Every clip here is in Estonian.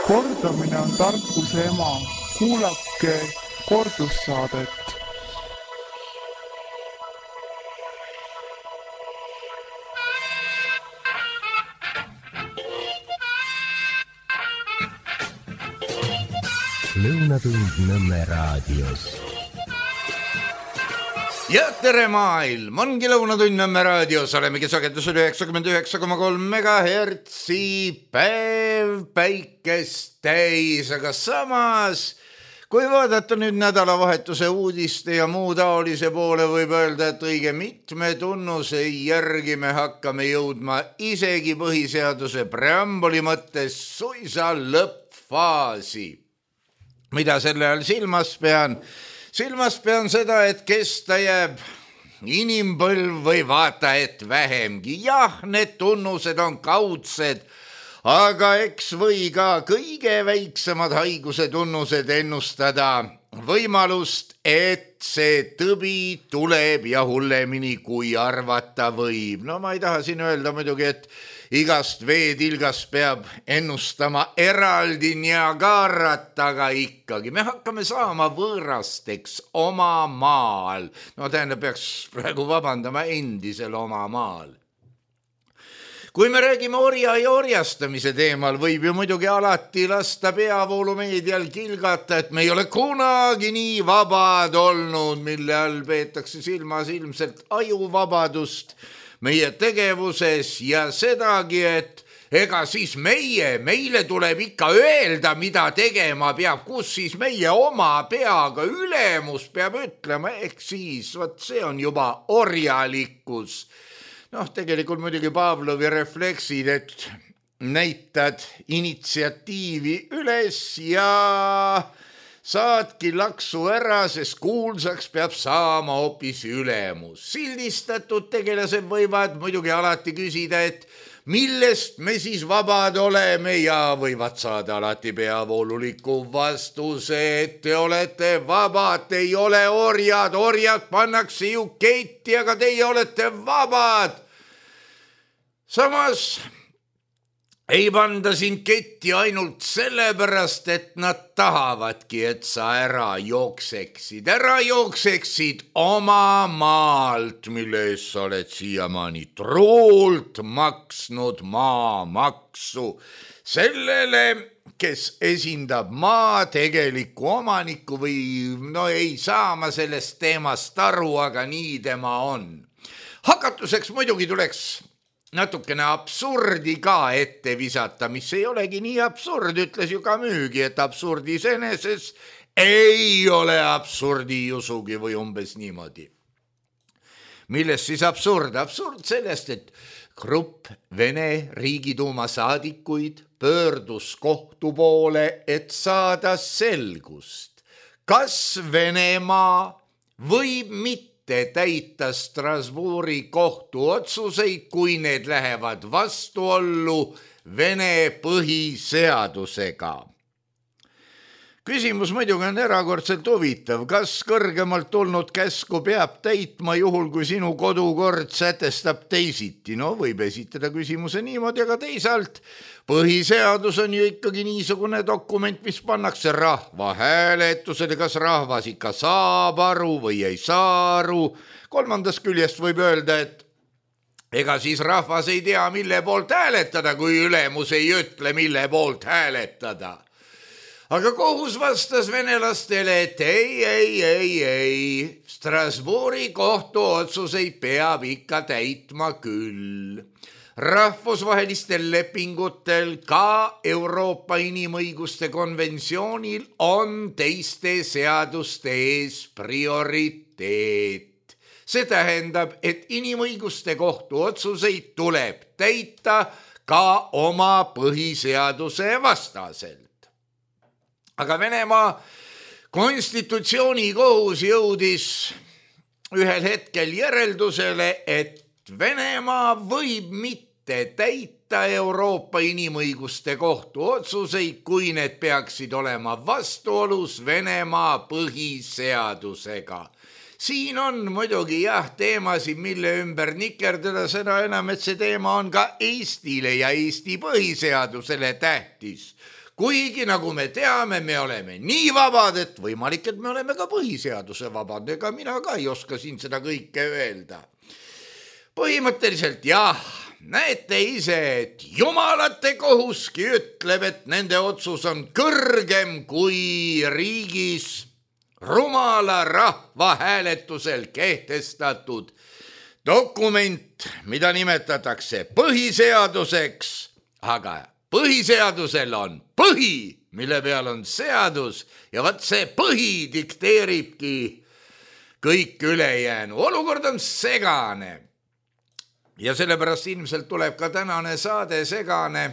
Kordamine on tarkuse ema. Kuulake kordussaadet. Lõunatund Nõmme raadios. Ja tere maailm, ongi Lõunatund Nõmme raadios, olemegi sagedusel 99,3 megahertsi, päev päikest täis, aga samas, kui vaadata nüüd nädalavahetuse uudiste ja muu taolise poole, võib öelda, et õige mitme tunnuse järgi me hakkame jõudma isegi põhiseaduse preambuli mõttes suisa lõppfaasi. Mida selle all silmas pean? Silmas pean seda, et kesta jääb inimpõlv või vaata, et vähemgi. Jah, need tunnused on kaudsed, aga eks või ka kõige väiksemad haiguse tunnused ennustada võimalust, et see tõbi tuleb ja hullemini kui arvata võib. No ma ei taha siin öelda muidugi, et igast veetilgast peab ennustama eraldi Niagarat, aga ikkagi me hakkame saama võõrasteks oma maal. No tähendab, peaks praegu vabandama endisel oma maal. Kui me räägime orja ja orjastamise teemal, võib ju muidugi alati lasta peavoolumeedial kilgata, et me ei ole kunagi nii vabad olnud, mille all peetakse silmas ilmselt ajuvabadust meie tegevuses ja sedagi, et ega siis meile tuleb ikka öelda, mida tegema peab, kus siis meie oma peaga ülemus peab ütlema, ehk siis, vot see on juba orjalikkus. Noh, tegelikult muidugi Pavlovi refleksid, et näitad initsiatiivi üles ja saadki laksu ära, sest kuulsaks peab saama hoopis ülemus. Sildistatud tegelased võivad muidugi alati küsida, et millest me siis vabad oleme ja võivad saada alati peavooluliku vastuse, et te olete vabad, te ei ole orjad, orjad pannakse ju ketti, aga teie olete vabad. Samas ei panda sind ketti ainult sellepärast, et nad tahavadki, et sa ära jookseksid oma maalt, mille eest sa oled siiamaani truult maksnud maamaksu sellele, kes esindab maa tegelikku omanikku või no ei saa ma sellest teemast aru, aga nii tema on. Hakatuseks muidugi tuleks natukene absurdi ka ette visata, mis ei olegi nii absurd, ütles ju ka müügi, et absurdi iseeneses ei ole absurdi usugi või umbes niimoodi. Millest siis absurd? Absurd sellest, et grupp Vene Riigiduuma saadikuid pöördus kohtu poole, et saada selgust, kas Venemaa võib mitte täita Strasbourgi kohtu otsuseid, kui need lähevad vastuollu Vene põhiseadusega. Küsimus muidugi on erakordselt huvitav, kas kõrgemalt tulnud käsku peab täitma juhul, kui sinu kodukord sätestab teisiti. No võib esitada küsimuse niimoodi, aga teisalt põhiseadus on ju ikkagi niisugune dokument, mis pannakse rahva hääletusele, kas rahvas ikka saab aru või ei saa aru. Kolmandast küljest võib öelda, et ega siis rahvas ei tea, mille poolt hääletada, kui ülemus ei ütle, mille poolt hääletada. Aga kohus vastas venelastele, et ei, Strasbourgi kohtu otsuseid peab ikka täitma küll. Rahvusvahelistel lepingutel, ka Euroopa inimõiguste konventsioonil on teiste seaduste ees prioriteet. See tähendab, et inimõiguste kohtu otsuseid tuleb täita ka oma põhiseaduse vastaselt. Aga Venemaa konstitutsioonikohus jõudis ühel hetkel järeldusele, et Venemaa võib mitte täita Euroopa inimõiguste kohtu otsuseid, kui need peaksid olema vastuolus Venemaa põhiseadusega. Siin on muidugi teemasid, mille ümber nikerdada, seda enam, et see teema on ka Eestile ja Eesti põhiseadusele tähtis. kuigi nagu me teame, me oleme nii vabad, et võimalik, et me oleme ka põhiseaduse vabad, ega mina ka ei oska siin seda kõike öelda. Põhimõtteliselt jah, näete ise, et jumalate kohuski ütleb, et nende otsus on kõrgem kui riigis rumala rahvahääletusel kehtestatud dokument, mida nimetatakse põhiseaduseks, aga põhiseadusel on põhi, mille peal on seadus ja vaat see põhi dikteeribki kõik ülejäänu. Olukord on segane ja sellepärast ilmselt tuleb ka tänane saade segane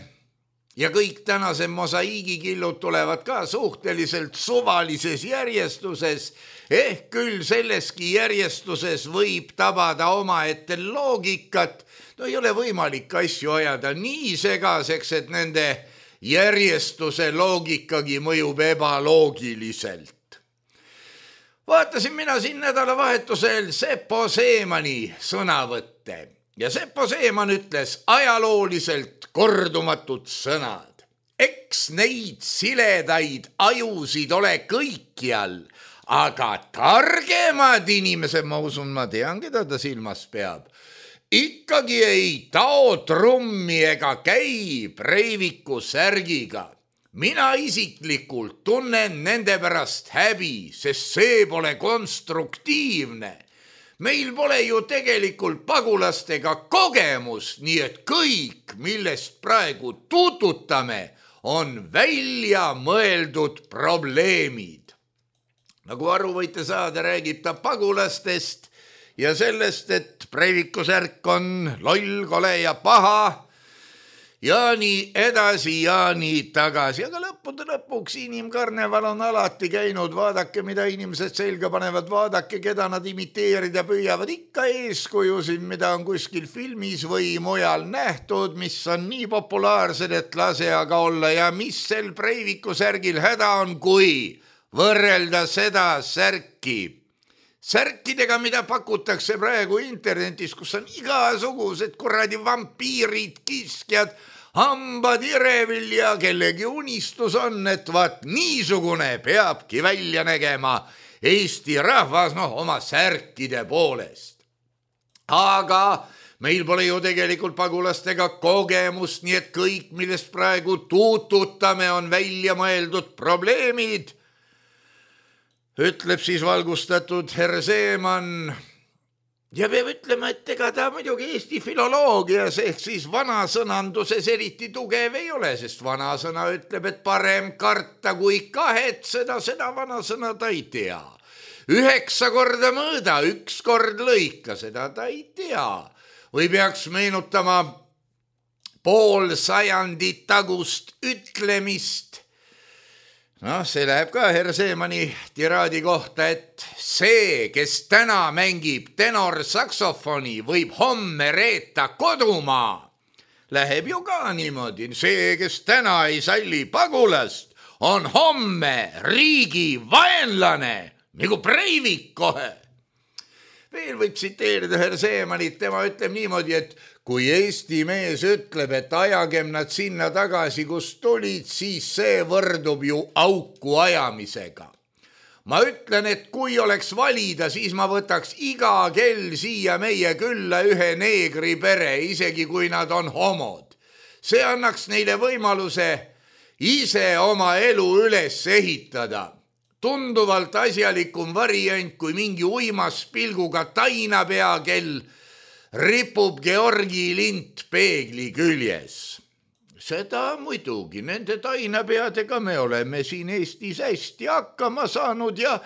ja kõik tänase mosaiigikillud tulevad ka suhteliselt suvalises järjestuses, ehk küll selleski järjestuses võib tabada omaette loogikat. No ei ole võimalik asju ajada nii segaseks, et nende järjestuse loogikagi mõjub ebaloogiliselt. Vaatasin mina siin nädalavahetusel Seppo Seemani sõnavõtte ja Seppo Seeman ütles ajalooliselt kordumatud sõnad. Eks neid siledaid ajusid ole kõikjal, aga targemad inimesed, ma usun, ma tean, keda ta silmas peab, ikkagi ei tao trummi ega käi Breiviku särgiga. Mina isiklikult tunnen nende pärast häbi, sest see pole konstruktiivne. Meil pole ju tegelikult pagulastega kogemust, nii et kõik, millest praegu tututame, on välja mõeldud probleemid. Nagu aru võite saada, räägib ta pagulastest ja sellest, et Breiviku särk on loll, kole ja paha ja nii edasi ja nii tagasi. Aga lõppude lõpuks inimkarneval on alati käinud, vaadake, mida inimesed selga panevad, vaadake, keda nad imiteerida püüavad, ikka eeskujusid, mida on kuskil filmis või mujal nähtud, mis on nii populaarsed, et lase aga olla ja mis sel Breiviku särgil häda on, kui võrrelda seda särkidega, mida pakutakse praegu internetis, kus on igasugused kuradi vampiirid, kiskjad, hambad irevil ja kellegi unistus on, et vaat niisugune peabki välja nägema Eesti rahvas, oma särkide poolest. Aga meil pole ju tegelikult pagulastega kogemust, nii et kõik, millest praegu tututame, on välja mõeldud probleemid, ütleb siis valgustatud herr Seeman. Ja peab ütlema, et ega ta muidugi Eesti filoloogias ehk siis vanasõnanduses eriti tugev ei ole, sest vanasõna ütleb, et parem karta kui kahetseda, seda vanasõna ta ei tea. 9 korda mõõda, 1 kord lõika, seda ta ei tea. Või peaks meenutama pool sajandit tagust ütlemist. See läheb ka herr Seemani tiraadi kohta, et see, kes täna mängib tenorsaksofoni, võib homme reeta kodumaa. Läheb ju ka niimoodi. See, kes täna ei salli pagulast, on homme riigi vaenlane, nagu Breivik kohe. Veel võib tsiteerida herr Seemanit, tema ütleb niimoodi, et kui Eesti mees ütleb, et ajagem nad sinna tagasi, kus tulid, siis see võrdub ju auku ajamisega. Ma ütlen, et kui oleks valida, siis ma võtaks iga kell siia meie külla ühe neegri pere, isegi kui nad on homod. See annaks neile võimaluse ise oma elu üles ehitada. Tunduvalt asjalikum variant kui mingi uimas pilguga tainapea, kel ripub Georgi lint peegli küljes. Seda muidugi, nende tainapeadega me oleme siin Eestis hästi hakkama saanud ja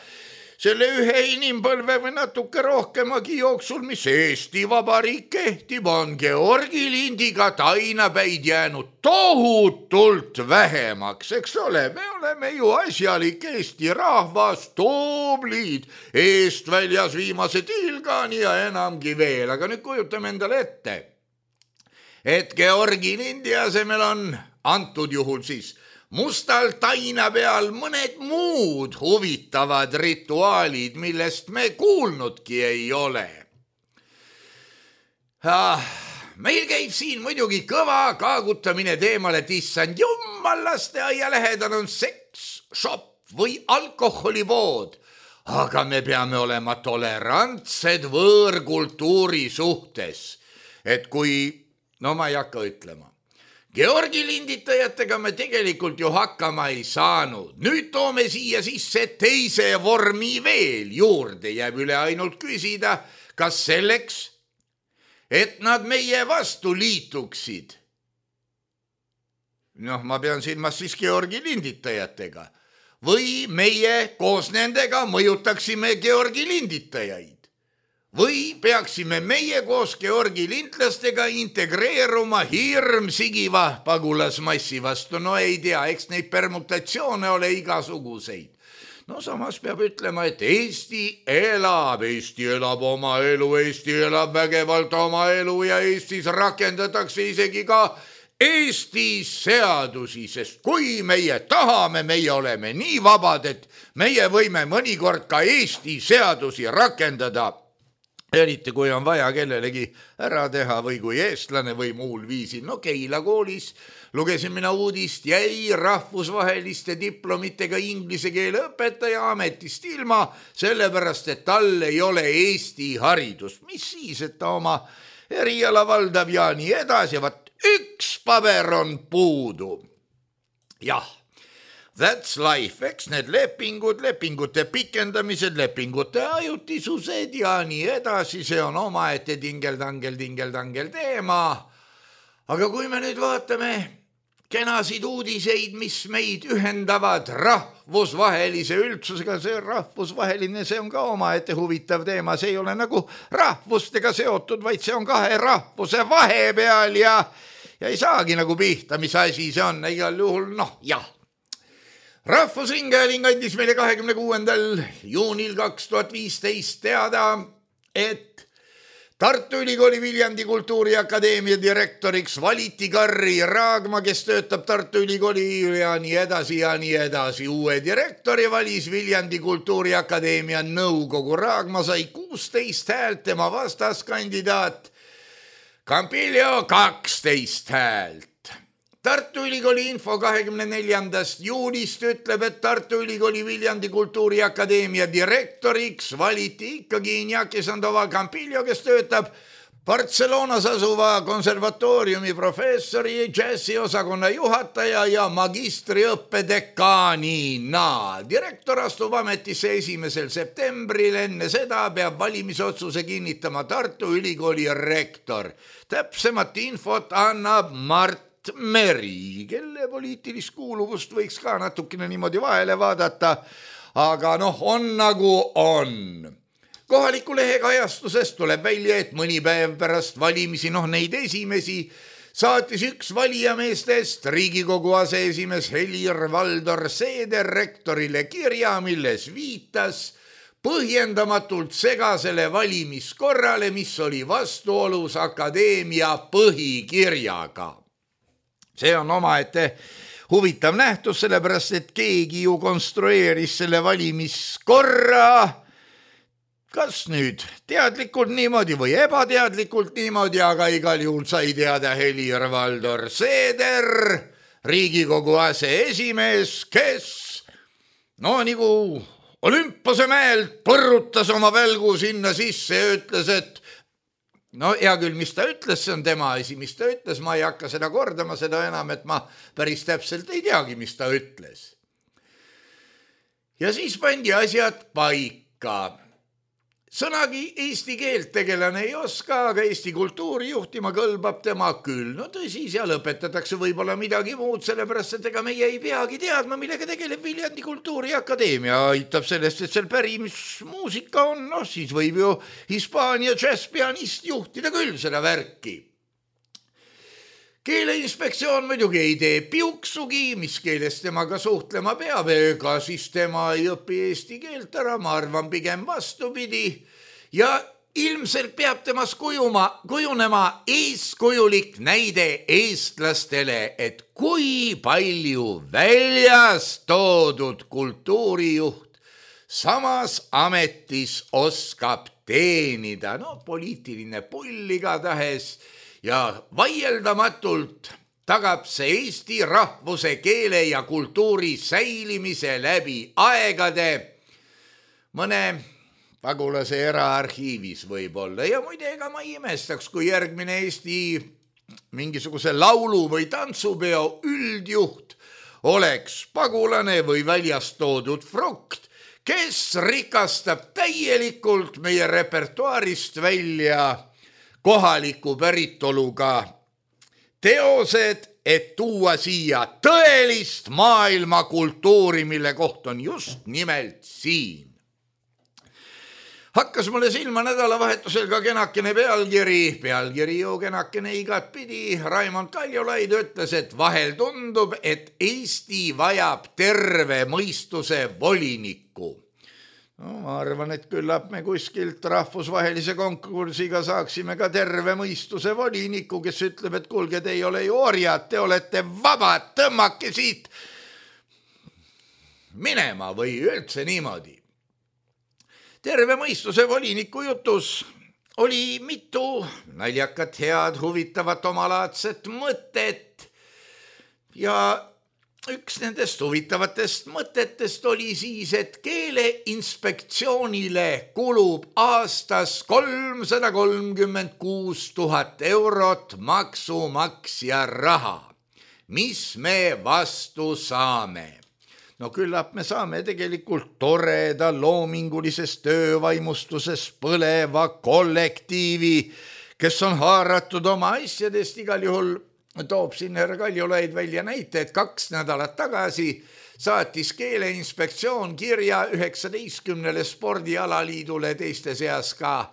selle ühe inimpõlve või natuke rohkemagi jooksul, mis Eesti Vabariik kehtib, on Georgi lindiga tainapäid jäänud tohutult vähemaks, eks ole, me oleme ju asjalik Eesti rahvas, tublid, eest väljas viimased ilgani ja enamgi veel, aga nüüd kujutame endale ette, et Georgi lindi asemel on antud juhul siis mustal taina peal mõned muud huvitavad rituaalid, millest me kuulnudki ei ole. meil käib siin muidugi kõva kaagutamine teemale, et issand jummal, lasteaia lähedal on seks, shop või alkoholipood. Aga me peame olema tolerantsed võõrkultuuri suhtes. Et kui, no ma ei hakka ütlema, Georgi linditajatega me tegelikult ju hakkama ei saanud. Nüüd toome siia sisse teise vormi veel juurde. Jääb üle ainult küsida, kas selleks, et nad meie vastu liituksid. Noh, ma pean silmas siis Georgi linditajatega. Või meie koos nendega mõjutaksime Georgi linditajaid. Või peaksime meie koos Georgi lintlastega integreeruma hirmsigiva pagulasmassi vastu. No ei tea, eks neid permutatsioone ole igasuguseid. No samas peab ütlema, et Eesti elab oma elu, Eesti elab vägevalt oma elu ja Eestis rakendatakse isegi ka Eesti seadusi, sest kui meie tahame, meie oleme nii vabad, et meie võime mõnikord ka Eesti seadusi rakendada, eriti kui on vaja kellelegi ära teha või kui eestlane või muul viisil. No Keila koolis lugesin mina uudist, jäi rahvusvaheliste diplomitega inglise keele õpetaja ametist ilma, sellepärast et tal ei ole Eesti haridust. Mis siis, et ta oma eriala valdab ja nii edasi, üks paber on puudu. Jah, that's life, eks need lepingud, lepingute pikendamised, lepingute ajutisused ja nii edasi, see on omaette tingeldangel teema. Aga kui me nüüd vaatame kenasid uudiseid, mis meid ühendavad rahvusvahelise üldsusega, see rahvusvaheline, see on ka omaette huvitav teema, see ei ole nagu rahvustega seotud, vaid see on kahe rahvuse vahepeal ja ei saagi nagu pihta, mis asi see on, igal juhul, noh, jah. Rahvusringhääling andis meile 26. juunil 2015 teada, et Tartu Ülikooli Viljandi Kultuuriakadeemia direktoriks valiti Karri Raagma, kes töötab Tartu Ülikooli ja nii edasi. Uue direktori valis Viljandi Kultuuriakadeemia nõukogu. Raagma sai 16 häält, tema vastaskandidaat Campillo 12 häält. Tartu Ülikooli info 24. juunist ütleb, et Tartu Ülikooli Viljandi Kultuuriakadeemia direktoriks valiti ikkagi Iñaki Sandoval Campillo, kes töötab Barcelonas asuva konservatooriumi professori, džässiosakonna juhataja ja magistriõppe dekaanina. Direktor astub ametisse 1. septembril, enne seda peab valimisotsuse kinnitama Tartu Ülikooli rektor. Täpsemat infot annab Mart Meri, kelle poliitilist kuuluvust võiks ka natukene niimoodi vahele vaadata, aga noh, on nagu on. Kohaliku lehe kajastusest tuleb välja, et mõni päev pärast valimisi, neid esimesi, saatis üks valijameestest Riigikogu aseesimees Helir-Valdor Seeder rektorile kirja, milles viitas põhjendamatult segasele valimiskorrale, mis oli vastuolus akadeemia põhikirjaga. See on omaette huvitav nähtus, sellepärast et keegi ju konstrueeris selle valimiskorra, kas nüüd teadlikult niimoodi või ebateadlikult niimoodi, aga igal juhul sai teada Helir-Valdor Seeder, Riigikogu aseesimees, kes nagu Olümpose mäelt põrrutas oma välgu sinna sisse ja ütles, et hea küll, mis ta ütles, see on tema asi, mis ta ütles, ma ei hakka seda kordama, seda enam, et ma päris täpselt ei teagi, mis ta ütles. Ja siis pandi asjad paika. Sõnagi eesti keelt tegelane ei oska, aga Eesti kultuuri juhtima kõlbab tema küll. Tõsi, seal õpetatakse võib-olla midagi muud, sellepärast, et ega meie ei peagi teadma, millega tegeleb Viljandi Kultuuriakadeemia. Aitab sellest, et seal pärimismuusika on, siis võib ju Hispaania džässpianist juhtida küll seda värki. Keeleinspektsioon muidugi ei tee piuksugi, mis keeles temaga suhtlema peab, ega siis tema ei õpi eesti keelt ära, ma arvan pigem vastupidi. Ja ilmselt peab temas kujunema eeskujulik näide eestlastele, et kui palju väljas toodud kultuurijuht samas ametis oskab teenida. Poliitiline pull igatahes. ja vaieldamatult tagab see eesti rahvuse, keele ja kultuuri säilimise läbi aegade mõne pagulase eraarhiivis võib-olla. Ja muide, ega ma ei imestaks, kui järgmine Eesti mingisuguse laulu või tantsupeo üldjuht oleks pagulane või väljast toodud frukt, kes rikastab täielikult meie repertuaarist välja kohaliku päritoluga teosed, et tuua siia tõelist maailmakultuuri, mille koht on just nimelt siin. Hakkas mulle silma nädalavahetusel ka kenakene pealkiri ju kenakene igatpidi. Raimond Kaljulaid ütles, et vahel tundub, et Eesti vajab terve mõistuse volinikku. No, ma arvan, et küllap me kuskilt rahvusvahelise konkursiga saaksime ka terve mõistuse voliniku, kes ütleb, et kuulge, te ei ole ju orjad, te olete vabad, tõmmake siit minema või üldse niimoodi. Terve mõistuse voliniku jutus oli mitu naljakat, head, huvitavat, omalaadset mõtet ja üks nendest huvitavatest mõtetest oli siis, et keeleinspektsioonile kulub aastas 336 000 eurot maksumaksja raha. Mis me vastu saame? No küllap me saame tegelikult toreda loomingulises töövaimustuses põleva kollektiivi, kes on haaratud oma asjadest. Igal juhul toob siin härra Kaljulaid välja näite, et 2 nädalat tagasi saatis keeleinspektsioon kirja 19 spordialaliidule, teiste seas ka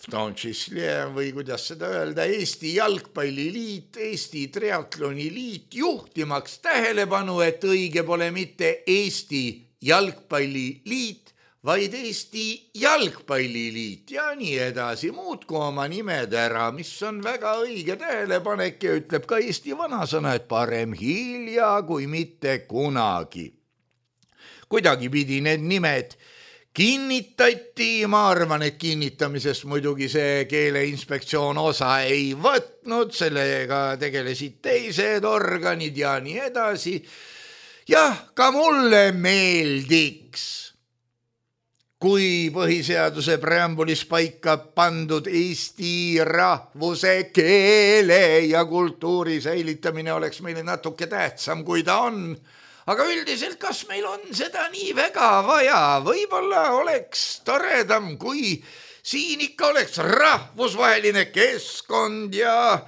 või kuidas seda öelda, Eesti Jalgpalliliit, Eesti Triatloniliit, juhtimaks tähelepanu, et õige pole mitte Eesti Jalgpalliliit, vaid Eesti Jalgpalliliit ja nii edasi. Muutku oma nimed ära, mis on väga õige tähelepanek ja ütleb ka Eesti vanasõna, et parem hilja kui mitte kunagi. Kuidagi pidi need nimed kinnitati, ma arvan, et kinnitamisest muidugi see keeleinspektsioon osa ei võtnud, sellega tegelesid teised organid ja nii edasi. Jah, ka mulle meeldiks, kui põhiseaduse preambulis paika pandud eesti rahvuse, keele ja kultuuri säilitamine oleks meile natuke tähtsam, kui ta on. Aga üldiselt, kas meil on seda nii väga vaja? Võib-olla oleks toredam, kui siin ikka oleks rahvusvaheline keskkond ja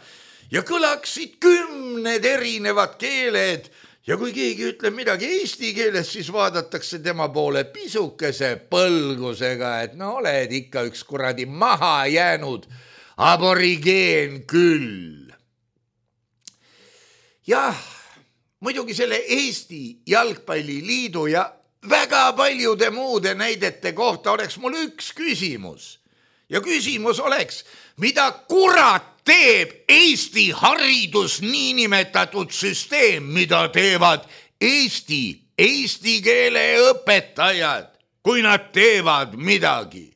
kõlaksid 10 erinevad keeled. Ja kui keegi ütleb midagi eesti keeles, siis vaadatakse tema poole pisukese põlgusega, et no oled ikka üks kuradi maha jäänud aborigeen küll. Jah, muidugi selle Eesti Jalgpalliliidu ja väga paljude muude näidete kohta oleks mul üks küsimus. Ja küsimus oleks, mida kurat teeb Eesti haridus niinimetatud süsteem, mida teevad eesti keele õpetajad, kui nad teevad midagi?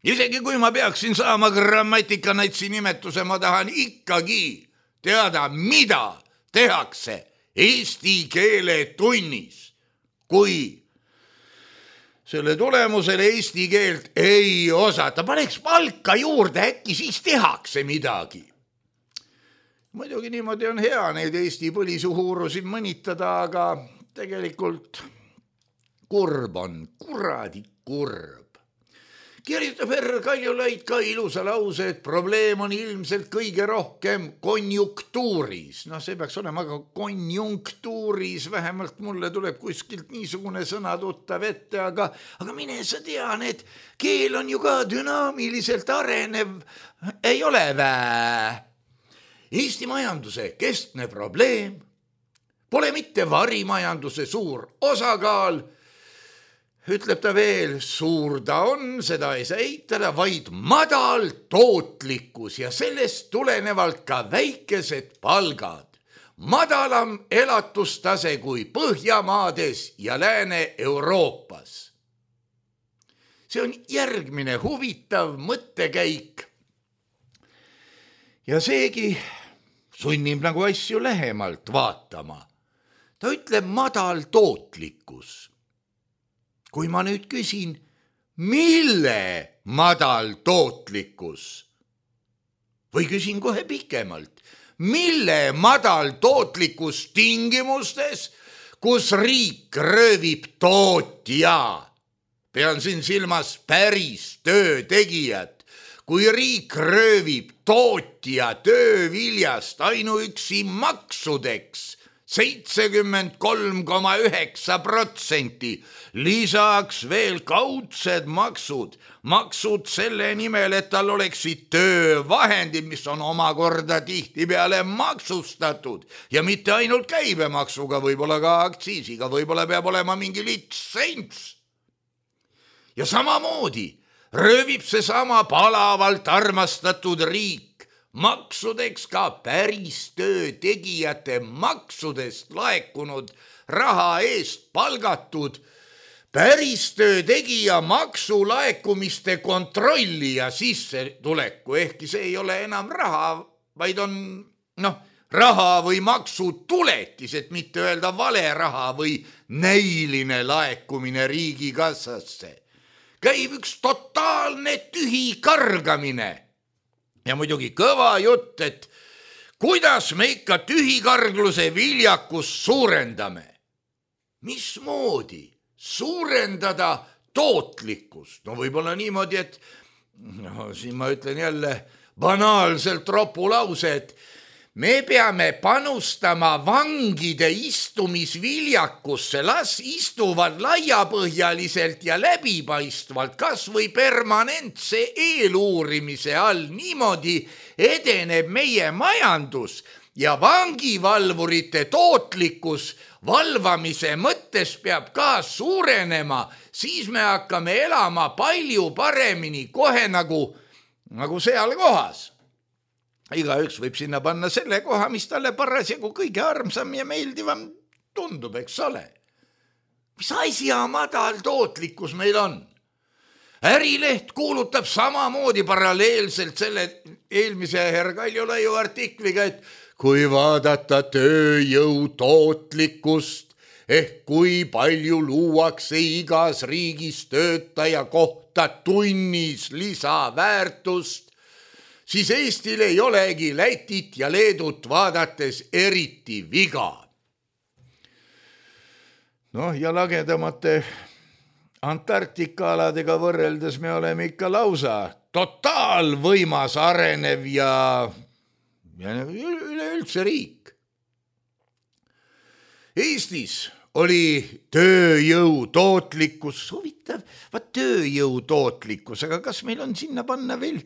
Isegi kui ma peaksin saama grammatikanaitsi nimetuse, ma tahan ikkagi teada, mida tehakse eesti keele tunnis, kui selle tulemusel eesti keelt ei osata. Paneks palka juurde, äkki siis tehakse midagi. Muidugi niimoodi on hea neid Eesti põlisuhuurusid mõnitada, aga tegelikult kurb on, kuradi kurb. Kirjutab härra Kaljulaid ka ilusa lause, et probleem on ilmselt kõige rohkem konjunktuuris. No see peaks olema ka konjunktuuris, vähemalt mulle tuleb kuskilt niisugune sõna tuttav ette, aga mine sa tean, et keel on ju ka dünaamiliselt arenev, ei ole vää. Eesti majanduse keskne probleem pole mitte varimajanduse suur osakaal, ütleb ta veel, suur ta on, seda ei saa eitada, vaid madal tootlikkus ja sellest tulenevalt ka väikesed palgad. Madalam elatustase kui Põhjamaades ja Lääne-Euroopas. See on järgmine huvitav mõttekäik ja seegi sunnib nagu asju lähemalt vaatama. Ta ütleb madal tootlikkus. Kui ma nüüd küsin, mille madal tootlikkus? Või küsin kohe pikemalt, mille madal tootlikkus tingimustes, kus riik röövib tootja? Pean siin silmas päris töötegijat. Kui riik röövib tootja tööviljast ainuüksi maksudeks 73,9%, lisaks veel kaudsed maksud selle nimel, et tal oleksid töövahendid, mis on omakorda tihtipeale maksustatud ja mitte ainult käibemaksuga, võib-olla ka aktsiisiga, võib-olla peab olema mingi litsents. Ja samamoodi röövib seesama palavalt armastatud riik maksudeks ka päris töötegijate maksudest laekunud raha eest palgatud päris töötegija maksulaekumiste kontrolli ja sissetuleku, ehkki see ei ole enam raha, vaid on raha või maksutuletis, et mitte öelda vale raha või näiline laekumine riigikassasse. Käib üks totaalne tühi kargamine. Ja muidugi kõva jutt, et kuidas me ikka tühikargluse viljakust suurendame. Mismoodi suurendada tootlikkust? No võib-olla niimoodi, et siin ma ütlen jälle banaalselt ropulause, et me peame panustama vangide istumisviljakusse, las istuvad laiapõhjaliselt ja läbipaistvalt, kas või permanentse eeluurimise all. Niimoodi edeneb meie majandus ja vangivalvurite tootlikkus valvamise mõttes peab ka suurenema, siis me hakkame elama palju paremini kohe nagu seal kohas. Igaüks võib sinna panna selle koha, mis talle parasjagu kõige armsam ja meeldivam tundub, eks ole. Mis asja madal tootlikkus meil on? Ärileht kuulutab samamoodi paralleelselt selle eelmise herr Kaljulaiu artikliga, et kui vaadata tööjõu tootlikkust ehk kui palju luuakse igas riigis töötaja kohta tunnis lisaväärtust, siis Eestil ei olegi Lätit ja Leedut vaadates eriti viga. Ja lagedamate Antarktika-aladega võrreldes me oleme ikka lausa totaalvõimas arenev ja üleüldse riik. Eestis oli tööjõu tootlikkus, huvitav, tööjõu tootlikkus, aga kas meil on sinna panna veel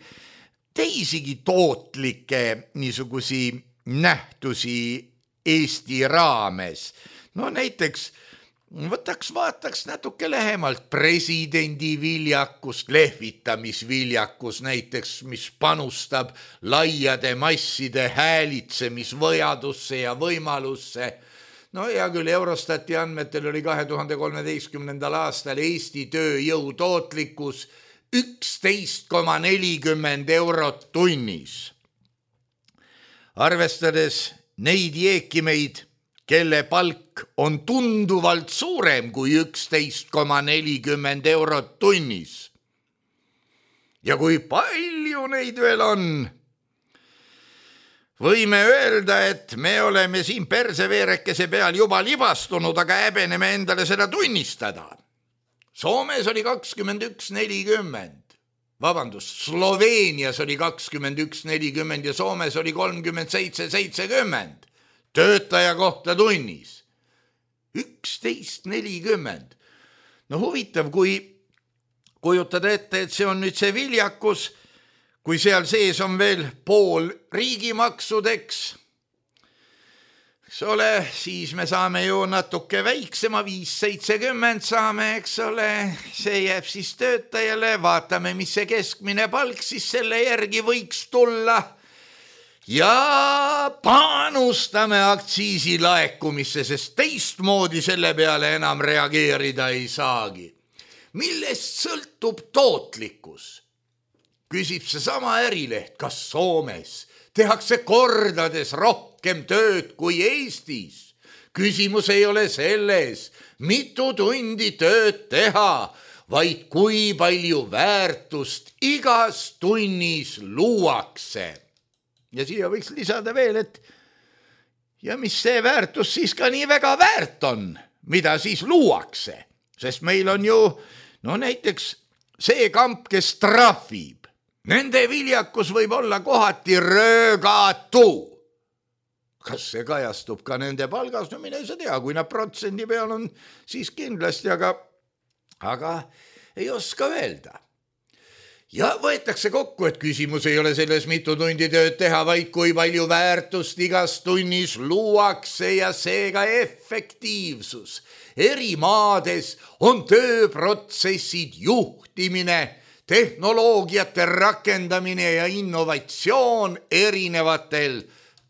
teisigi tootlikke niisugusi nähtusi Eesti raames? Näiteks vaataks natuke lähemalt presidendi viljakust, lehvitamisviljakus näiteks, mis panustab laiade masside häälitsemisvajadusse ja võimalusse. Hea küll, Eurostati andmetel oli 2013. aastal Eesti tööjõu tootlikkus 11,40 eurot tunnis. Arvestades neid jeekimeid, kelle palk on tunduvalt suurem kui 11,40 eurot tunnis. Ja kui palju neid veel on? Võime öelda, et me oleme siin perseveerekese peal juba libastunud, aga häbeneme endale seda tunnistada. Soomes oli 21,40. Sloveenias oli 21,40 ja Soomes oli 37,70 töötaja kohta tunnis. 11,40. Huvitav, kui kujutada ette, et see on nüüd see viljakus, kui seal sees on veel pool riigimaksudeks, eks ole, siis me saame ju natuke väiksema, 5,70 saame, eks ole, see jääb siis töötajale, vaatame, mis see keskmine palk siis selle järgi võiks tulla ja panustame aktsiisi laekumisse, sest teistmoodi selle peale enam reageerida ei saagi. Millest sõltub tootlikkus? Küsib seesama ärileht, kas Soomes tehakse kordades rohkem tööd kui Eestis. Küsimus ei ole selles, mitu tundi tööd teha, vaid kui palju väärtust igas tunnis luuakse. Ja siia võiks lisada veel, et ja mis see väärtus siis ka nii väga väärt on, mida siis luuakse. Sest meil on ju, näiteks see kamp, kes trahvib, nende viljakus võib olla kohati röögatu. Kas see kajastub ka nende palgas? Mine ei saa tea, kui nad protsendi peal on, siis kindlasti, aga ei oska öelda. Ja võetakse kokku, et küsimus ei ole selles, mitu tundi tööd teha, vaid kui palju väärtust igas tunnis luuakse ja seega efektiivsus. Eri maades on tööprotsessid juhtimine, tehnoloogiate rakendamine ja innovatsioon erinevatel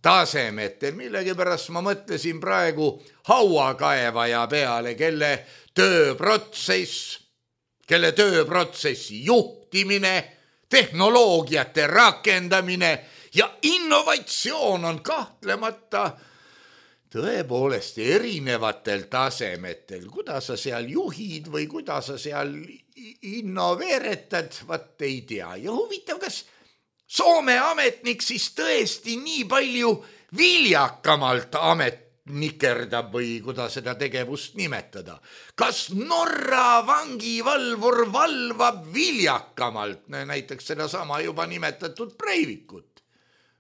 tasemetel. Millegipärast ma mõtlesin praegu hauakaevaja peale, kelle tööprotsessi juhtimine, tehnoloogiate rakendamine ja innovatsioon on kahtlemata tõepoolest erinevatel tasemetel. Kuidas sa seal juhid või kuidas sa seal innoveeretad, vaat ei tea. Ja huvitav, kas Soome ametnik siis tõesti nii palju viljakamalt ametnikerdab või kuidas seda tegevust nimetada. Kas Norra vangivalvur valvab viljakamalt, näiteks seda sama juba nimetatud Breivikut?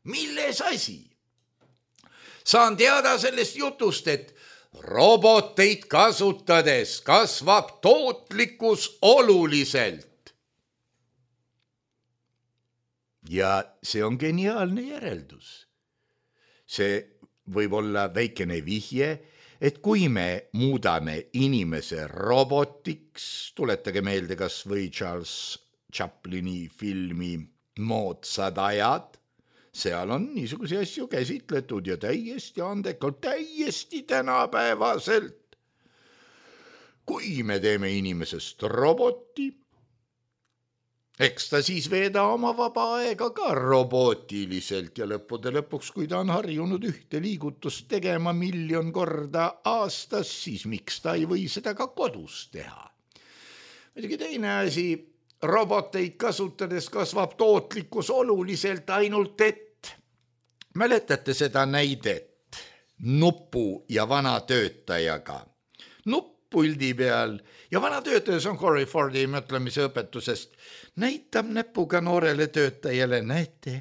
Milles asi? Saan teada sellest jutust, et roboteid kasutades kasvab tootlikkus oluliselt. Ja see on geniaalne järeldus. See võib olla väikene vihje, et kui me muudame inimese robotiks, tuletage meelde kas või Charles Chaplini filmi Moodsad ajad, seal on niisuguse asju käsitletud ja täiesti andekalt, täiesti tänapäevaselt. Kui me teeme inimesest roboti, eks ta siis veeda oma vaba aega ka robootiliselt ja lõppude lõpuks, kui ta on harjunud ühte liigutust tegema 1 000 000 korda aastas, siis miks ta ei või seda ka kodus teha? Muidugi teine asi, roboteid kasutades kasvab tootlikkus oluliselt, ainult et mäletate seda näidet nupu ja vana töötajaga. Nuppuldi peal ja vana töötaja, see on Corey Fordi mõtlemise õpetusest, näitab näpuga noorele töötajale, näete,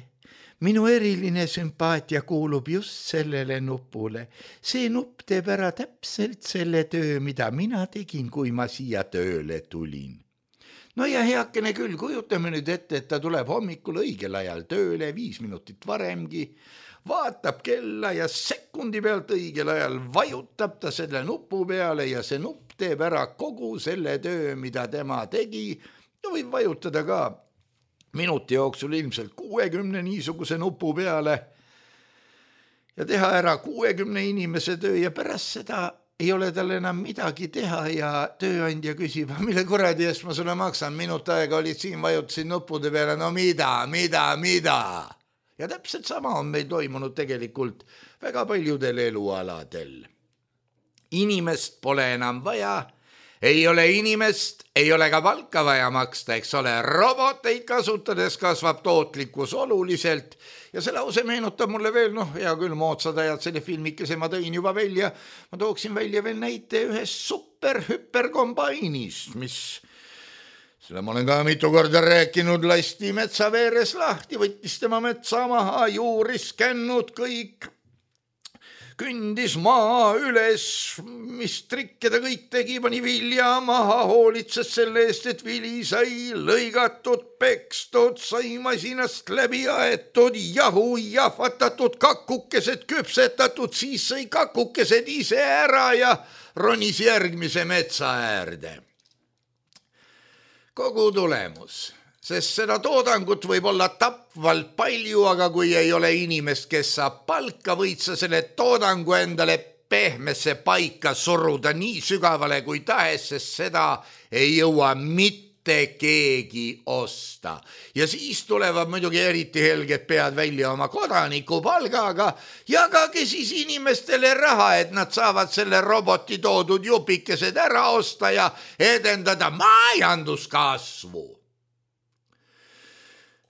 minu eriline sümpaatia kuulub just sellele nupule. See nupp teeb ära täpselt selle töö, mida mina tegin, kui ma siia tööle tulin. No ja heakene küll, kujutame nüüd ette, et ta tuleb hommikul õigel ajal tööle, 5 minutit varemgi, vaatab kella ja sekundi pealt õigel ajal vajutab ta selle nupu peale ja see nupp teeb ära kogu selle töö, mida tema tegi. Ja võib vajutada ka minuti jooksul ilmselt 60 niisuguse nupu peale ja teha ära 60 inimese töö ja pärast seda ei ole tal enam midagi teha ja tööandja küsib, mille kuradi eest ma sulle maksan, minut aega olid siin, vajutasin nuppude peale, no mida? Ja täpselt sama on meil toimunud tegelikult väga paljudel elualadel. Inimest pole enam vaja, ei ole inimest, ei ole ka palka vaja maksta, eks ole, roboteid kasutades kasvab tootlikkus oluliselt ja see lause meenutab mulle veel, hea küll, Moodsad ajad, selle filmikese ma tõin juba välja, ma tooksin välja veel näite ühest super-hüperkombainist, mis, selle ma olen ka mitu korda rääkinud, lasti metsa veeres lahti, võttis tema metsa maha, juuris kännud kõik, kündis maa üles, mis trikke ta kõik tegi, pani vilja maha, hoolitses selle eest, et vili sai lõigatud, pekstud, sai masinast läbi aetud, jahu jahvatatud, kakukesed küpsetatud, siis sai kakukesed ise ära ja ronis järgmise metsa äärde. Kogu tulemus. Sest seda toodangut võib olla tapvalt palju, aga kui ei ole inimest, kes saab palka, võid sa selle toodangu endale pehmesse paika suruda nii sügavale kui tahes, sest seda ei jõua mitte mitte keegi osta. Ja siis tulevad muidugi eriti helged pead välja oma kodanikupalgaga, jagage siis inimestele raha, et nad saavad selle roboti toodud jupikesed ära osta ja edendada majanduskasvu.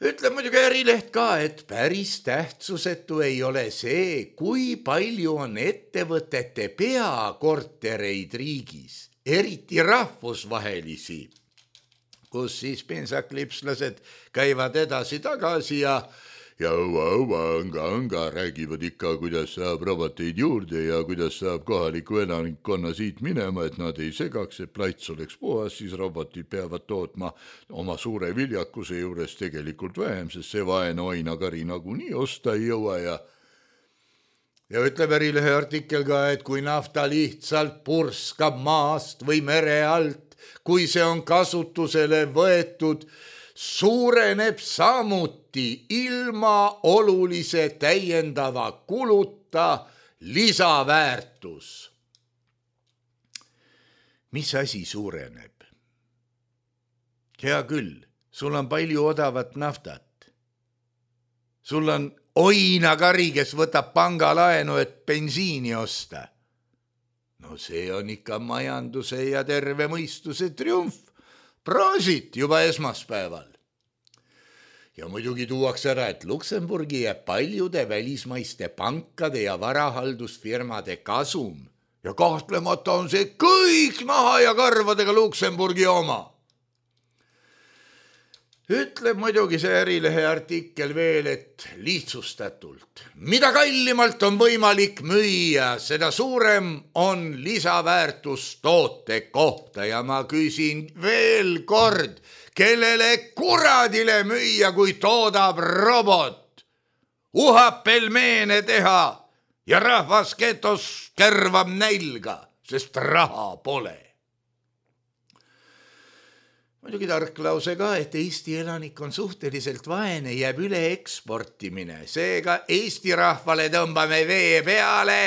Ütleb muidugi Ärileht ka, et päris tähtsusetu ei ole see, kui palju on ettevõtete peakortereid riigis, eriti rahvusvahelisi, kus siis pensaklipslased käivad edasi-tagasi ja anga räägivad ikka, kuidas saab roboteid juurde ja kuidas saab kohaliku elanikkonna siit minema, et nad ei segaks, et plats oleks puhas, siis robotid peavad tootma oma suure viljakuse juures tegelikult vähem, sest see vaene oinakari nagunii osta ei jõua ja ütleb Ärilehe artikkel ka, et kui nafta lihtsalt purskab maast või mere alt, kui see on kasutusele võetud, suureneb samuti ilma olulise täiendava kuluta lisaväärtus. Mis asi suureneb? Hea küll, sul on palju odavat naftat. Sul on oinakari, kes võtab pangalaenu, et bensiini osta. No see on ikka majanduse ja terve mõistuse triumf. Proosit juba esmaspäeval. Ja muidugi tuuakse ära, et Luksemburgi jääb paljude välismaiste pankade ja varahaldusfirmade kasum. Ja kahtlemata on see kõik naha ja karvadega Luksemburgi oma. Ütleb muidugi see Ärilehe artikkel veel, et lihtsustatult. Mida kallimalt on võimalik müüa, seda suurem on lisaväärtus toote kohta ja ma küsin veel kord, kellele kuradile müüa, kui toodab robot, uhab pelmeene teha ja rahvas getos kärvab nälga, sest raha pole. Muidugi tark lause ka, et Eesti elanik on suhteliselt vaene, jääb üle eksportimine. Seega Eesti rahvale tõmbame vee peale.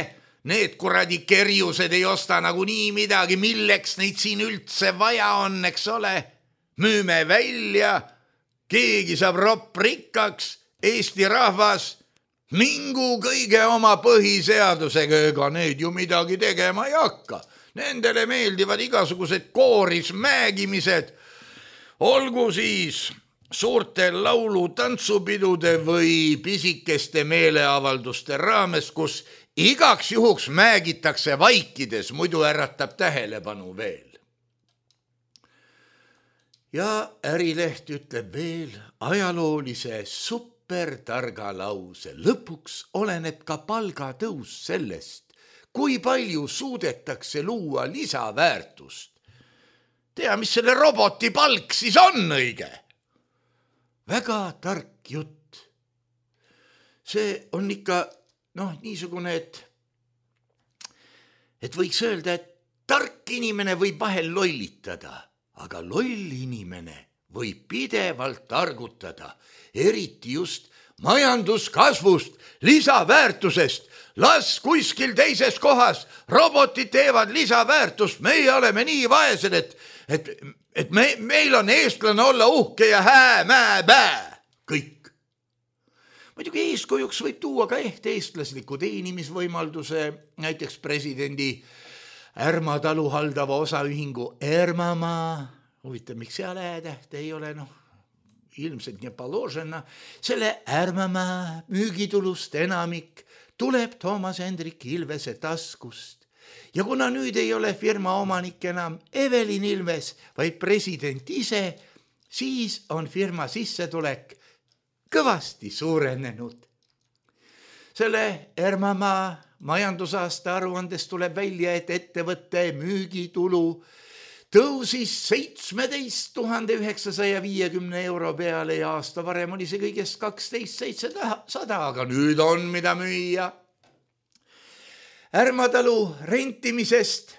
Need kuradi kerjused ei osta nagu nii midagi, milleks neid siin üldse vaja on, eks ole. Müüme välja, keegi saab ropp rikkaks, Eesti rahvas mingu kõige oma põhiseadusega, ega need ju midagi tegema ei hakka. Nendele meeldivad igasugused kooris määgimised, olgu siis suurte laulu tantsupidude või pisikeste meeleavalduste raames, kus igaks juhuks määgitakse vaikides, muidu äratab tähelepanu veel. Ja Ärileht ütleb veel ajaloolise supertarga lause. Lõpuks oleneb ka palgatõus sellest, kui palju suudetakse luua lisaväärtust. Tea, mis selle roboti palk siis on õige? Väga tark jutt. See on ikka niisugune, et võiks öelda, et tark inimene võib vahel lollitada, aga loll inimene võib pidevalt targutada, eriti just majanduskasvust, lisaväärtusest. Las kuskil teises kohas robotid teevad lisaväärtust, meie oleme nii vaesed, et meil on eestlane olla uhke ja hää-mää-bää, kõik. Muidugi eeskujuks võib tuua ka eestlasliku teenimisvõimalduse, näiteks presidendi Ärma talu haldava osaühingu Ermamaa, huvitav, miks seal äätähte ei ole, ilmselt nii paložena, selle Ermamaa müügitulust enamik tuleb Toomas Hendrik Ilvese taskust. Ja kuna nüüd ei ole firma omanik enam Evelin Ilves, vaid president ise, siis on firma sissetulek kõvasti suurenenud. Selle Ermamaa majandusaasta aruandest tuleb välja, et ettevõtte müügitulu tõusis 17 950 euro peale ja aasta varem oli see kõigest 12 700, aga nüüd on mida müüa. Ärma talu rentimisest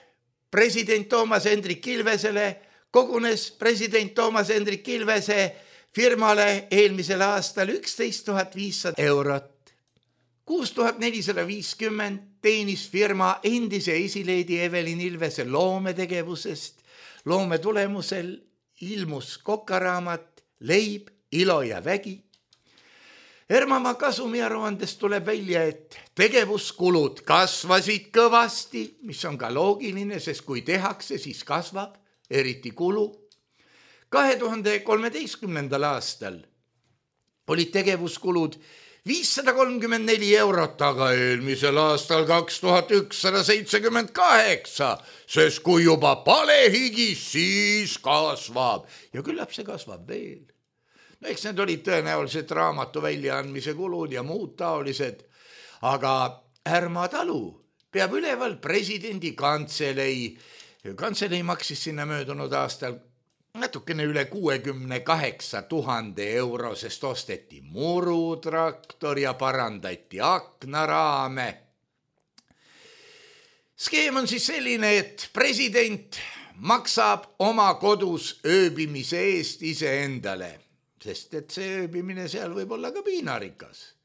president Toomas Hendrik Ilvesele kogunes president Toomas Hendrik Ilvese firmale eelmisel aastal 11 500 eurot. 6450 teenis firma endise esileedi Evelin Ilvese loometegevusest, loome tulemusel ilmus kokaraamat Leib, ilo ja vägi. Ermamaa kasumiaruandest tuleb välja, et tegevuskulud kasvasid kõvasti, mis on ka loogiline, sest kui tehakse, siis kasvab, eriti kulu. 2013. aastal olid tegevuskulud 534 eurot, aga eelmisel aastal 2178, sest kui juba palehigis, siis kasvab ja küllap see kasvab veel. No eks need olid tõenäoliselt raamatu väljaandmise kulud ja muud taolised, aga Härma talu peab üleval presidendi kantselei. Kantselei maksis sinna möödunud aastal natukene üle 68 000 euro, sest osteti murutraktor ja parandati aknaraame. Skeem on siis selline, et president maksab oma kodus ööbimise eest iseendale, sest et see ööbimine seal võib olla ka piinarikas.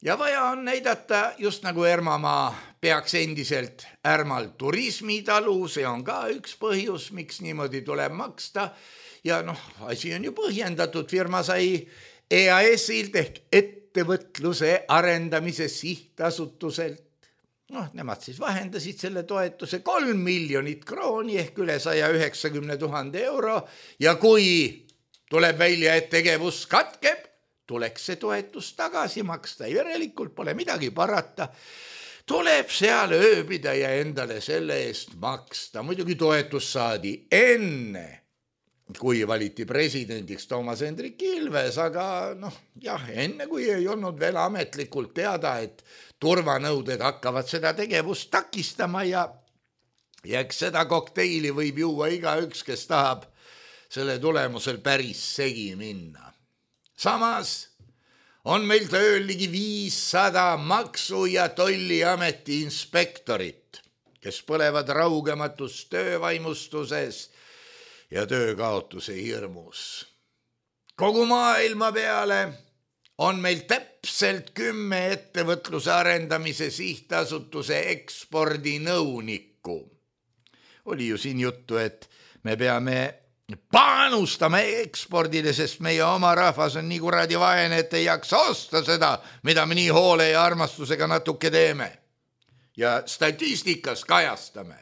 Ja vaja on näidata, just nagu Ermamaa peaks endiselt Ärmal turismitalu, see on ka üks põhjus, miks niimoodi tuleb maksta. Ja asi on ju põhjendatud, firma sai EAS-ilt ehk ettevõtluse arendamise sihtasutuselt. Nemad siis vahendasid selle toetuse 3 miljonit krooni ehk üle 190 000 euro ja kui tuleb välja, et tegevus katkeb, tuleks see toetus tagasi maksta, järelikult pole midagi parata. Tuleb seal ööbida ja endale selle eest maksta. Muidugi toetus saadi enne, kui valiti presidendiks Toomas Hendrik Ilves, aga enne kui ei olnud veel ametlikult teada, et turvanõuded hakkavad seda tegevust takistama ja eks seda kokteili võib juua igaüks, kes tahab selle tulemusel päris segi minna. Samas on meil tööl ligi 500 maksu- ja tolliameti inspektorit, kes põlevad raugematus töövaimustuses ja töökaotuse hirmus. Kogu maailma peale on meil täpselt 10 ettevõtluse arendamise sihtasutuse ekspordinõunikku. Oli ju siin juttu, et me peame panustame ekspordile, sest meie oma rahvas on nii kuradi vaene, et ei jaksa osta seda, mida me nii hoole ja armastusega natuke teeme. Ja statistikas kajastame.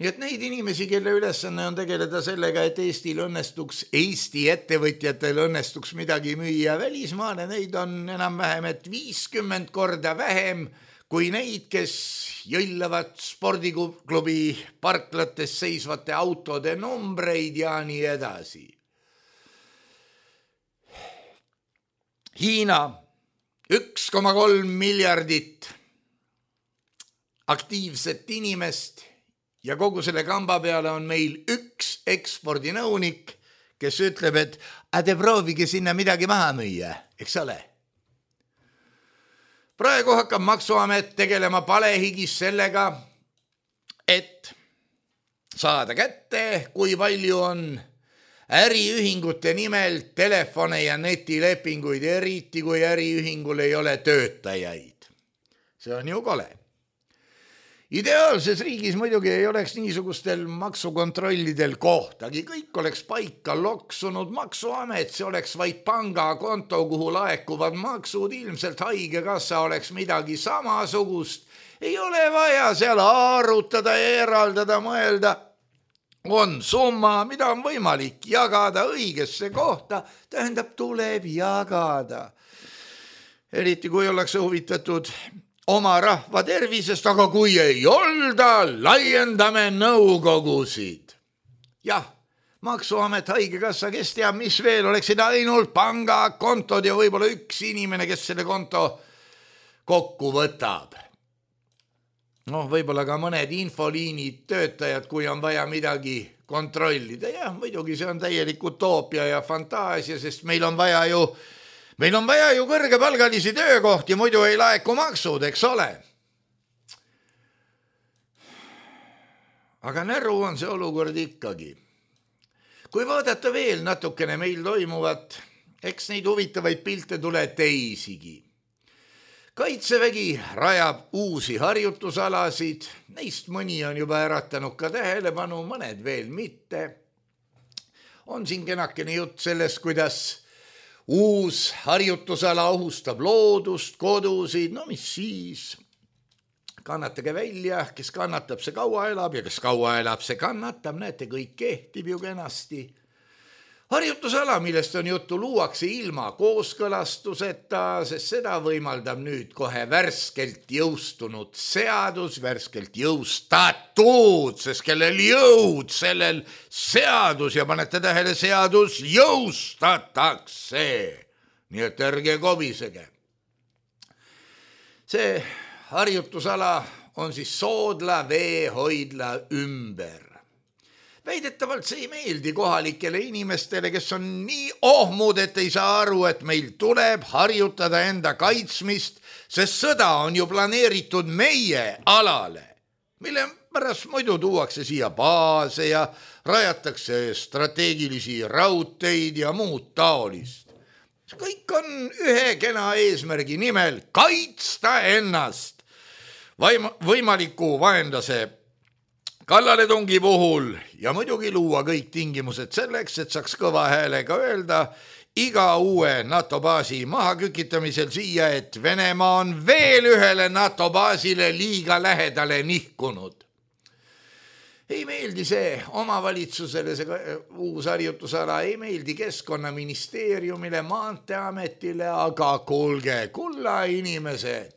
Nii et neid inimesi, kelle ülesanne on tegeleda sellega, et Eesti ettevõtjatel õnnestuks midagi müüa välismaale, neid on enam-vähem 50 korda vähem kui neid, kes jõllavad spordiklubi parklates seisvate autode numbreid ja nii edasi. Hiina 1,3 miljardit aktiivset inimest ja kogu selle kamba peale on meil üks ekspordinõunik, kes ütleb, et te proovige sinna midagi maha müüa, eks ole. Praegu hakkab Maksuamet tegelema palehigis sellega, et saada kätte, kui palju on äriühingute nimel telefone ja netilepinguid, eriti kui äriühingul ei ole töötajaid. See on ju kole. Ideaalses riigis muidugi ei oleks niisugustel maksukontrollidel kohtagi, kõik oleks paika loksunud. Maksuamet, see oleks vaid pangakonto, kuhu laekuvad maksud, ilmselt haigekassa oleks midagi samasugust. Ei ole vaja seal arutada ja eraldada, mõelda. On summa, mida on võimalik jagada õigesse kohta, tähendab, tuleb jagada. Eriti kui ollakse huvitatud oma rahva tervisest, aga kui ei olda, laiendame nõukogusid. Jah, Maksuamet, haigekassa, kes teab, mis veel, oleksid ainult pangakontod ja võib-olla üks inimene, kes selle konto kokku võtab. Võib-olla ka mõned infoliinid töötajad, kui on vaja midagi kontrollida. Jah, muidugi see on täielik utoopia ja fantaasia, sest meil on vaja ju kõrgepalgalisi töökohti, muidu ei laeku maksud, eks ole. Aga näru on see olukord ikkagi. Kui vaadata veel natukene meil toimuvat, eks neid huvitavaid pilte tule teisigi. Kaitsevägi rajab uusi harjutusalasid, neist mõni on juba äratanud ka tähelepanu, mõned veel mitte. On siin kenakene jutt sellest, kuidas uus harjutusala ohustab loodust, kodusid, no mis siis? Kannatage välja, kes kannatab, see kaua elab ja kes kaua elab, see kannatab, näete, kõik kehtib ju kenasti. Harjutusala, millest on juttu, luuakse ilma kooskõlastuseta, sest seda võimaldab nüüd kohe värskelt jõustunud seadus, värskelt jõustatud, sest kellel jõud, sellel seadus ja panete tähele, seadus jõustatakse. Nii et ärge kobisege. See harjutusala on siis Soodla veehoidla ümber. Väidetavalt see ei meeldi kohalikele inimestele, kes on nii ohmud, et ei saa aru, et meil tuleb harjutada enda kaitsmist, sest sõda on ju planeeritud meie alale, mille pärast muidu tuuakse siia baase ja rajatakse strateegilisi raudteid ja muud taolist. Kõik on ühe kena eesmärgi nimel kaitsta ennast võimaliku vaenlase kallaletungi puhul ja muidugi luua kõik tingimused selleks, et saaks kõva häälega öelda iga uue NATO baasi mahakükitamisel siia, et Venemaa on veel ühele NATO baasile liiga lähedale nihkunud. Ei meeldi see omavalitsusele, see uus harjutusala, ei meeldi Keskkonnaministeeriumile, Maanteeametile, aga kuulge, kulla inimesed,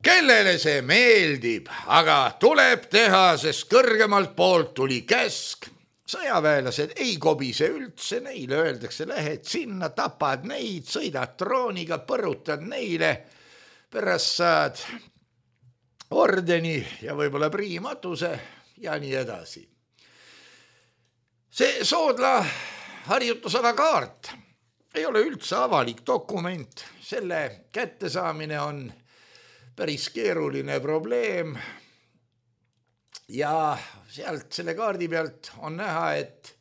kellele see meeldib, aga tuleb teha, sest kõrgemalt poolt tuli käsk. Sõjaväelased ei kobise üldse, neile öeldakse, lähed sinna, tapad neid, sõidad drooniga, põrutad neile, pärast saad ordeni ja võib-olla priimatuse ja nii edasi. See Soodla harjutusala kaart ei ole üldse avalik dokument, selle kättesaamine on päris keeruline probleem ja sealt selle kaardi pealt on näha, et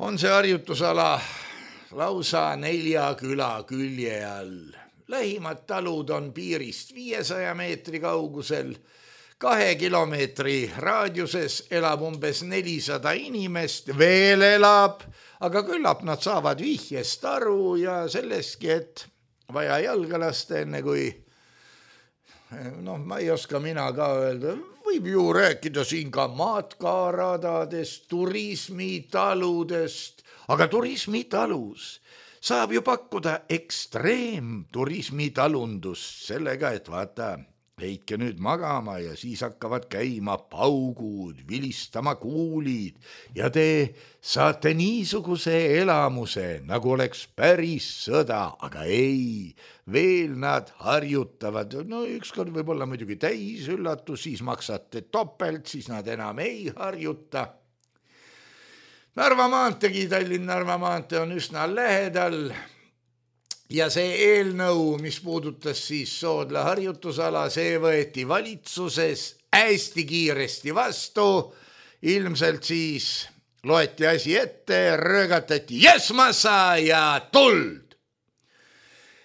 on see harjutusala lausa 4 küla külje all. Lähimad talud on piirist 500 meetri kaugusel, 2 kilomeetri raadiuses elab umbes 400 inimest, veel elab, aga küllap nad saavad vihjest aru ja selleski, et vaja jalga lasta enne kui ma ei oska mina ka öelda, võib ju rääkida siin ka matkaradadest, turismitaludest, aga turismitalus saab ju pakkuda ekstreemturismitalundust sellega, et vaata, heitke nüüd magama ja siis hakkavad käima paugud, vilistama kuulid ja te saate niisuguse elamuse, nagu oleks päris sõda, aga ei, veel nad harjutavad. No ükskord võib olla muidugi täis üllatus, siis maksate topelt, siis nad enam ei harjuta. Narva maanteegi, Tallinn-Narva maantee on üsna lähedal. Ja see eelnõu, mis puudutas siis Soodla harjutusala, see võeti valitsuses hästi kiiresti vastu. Ilmselt siis loeti asi ette, röögatati jesmassa ja tuld.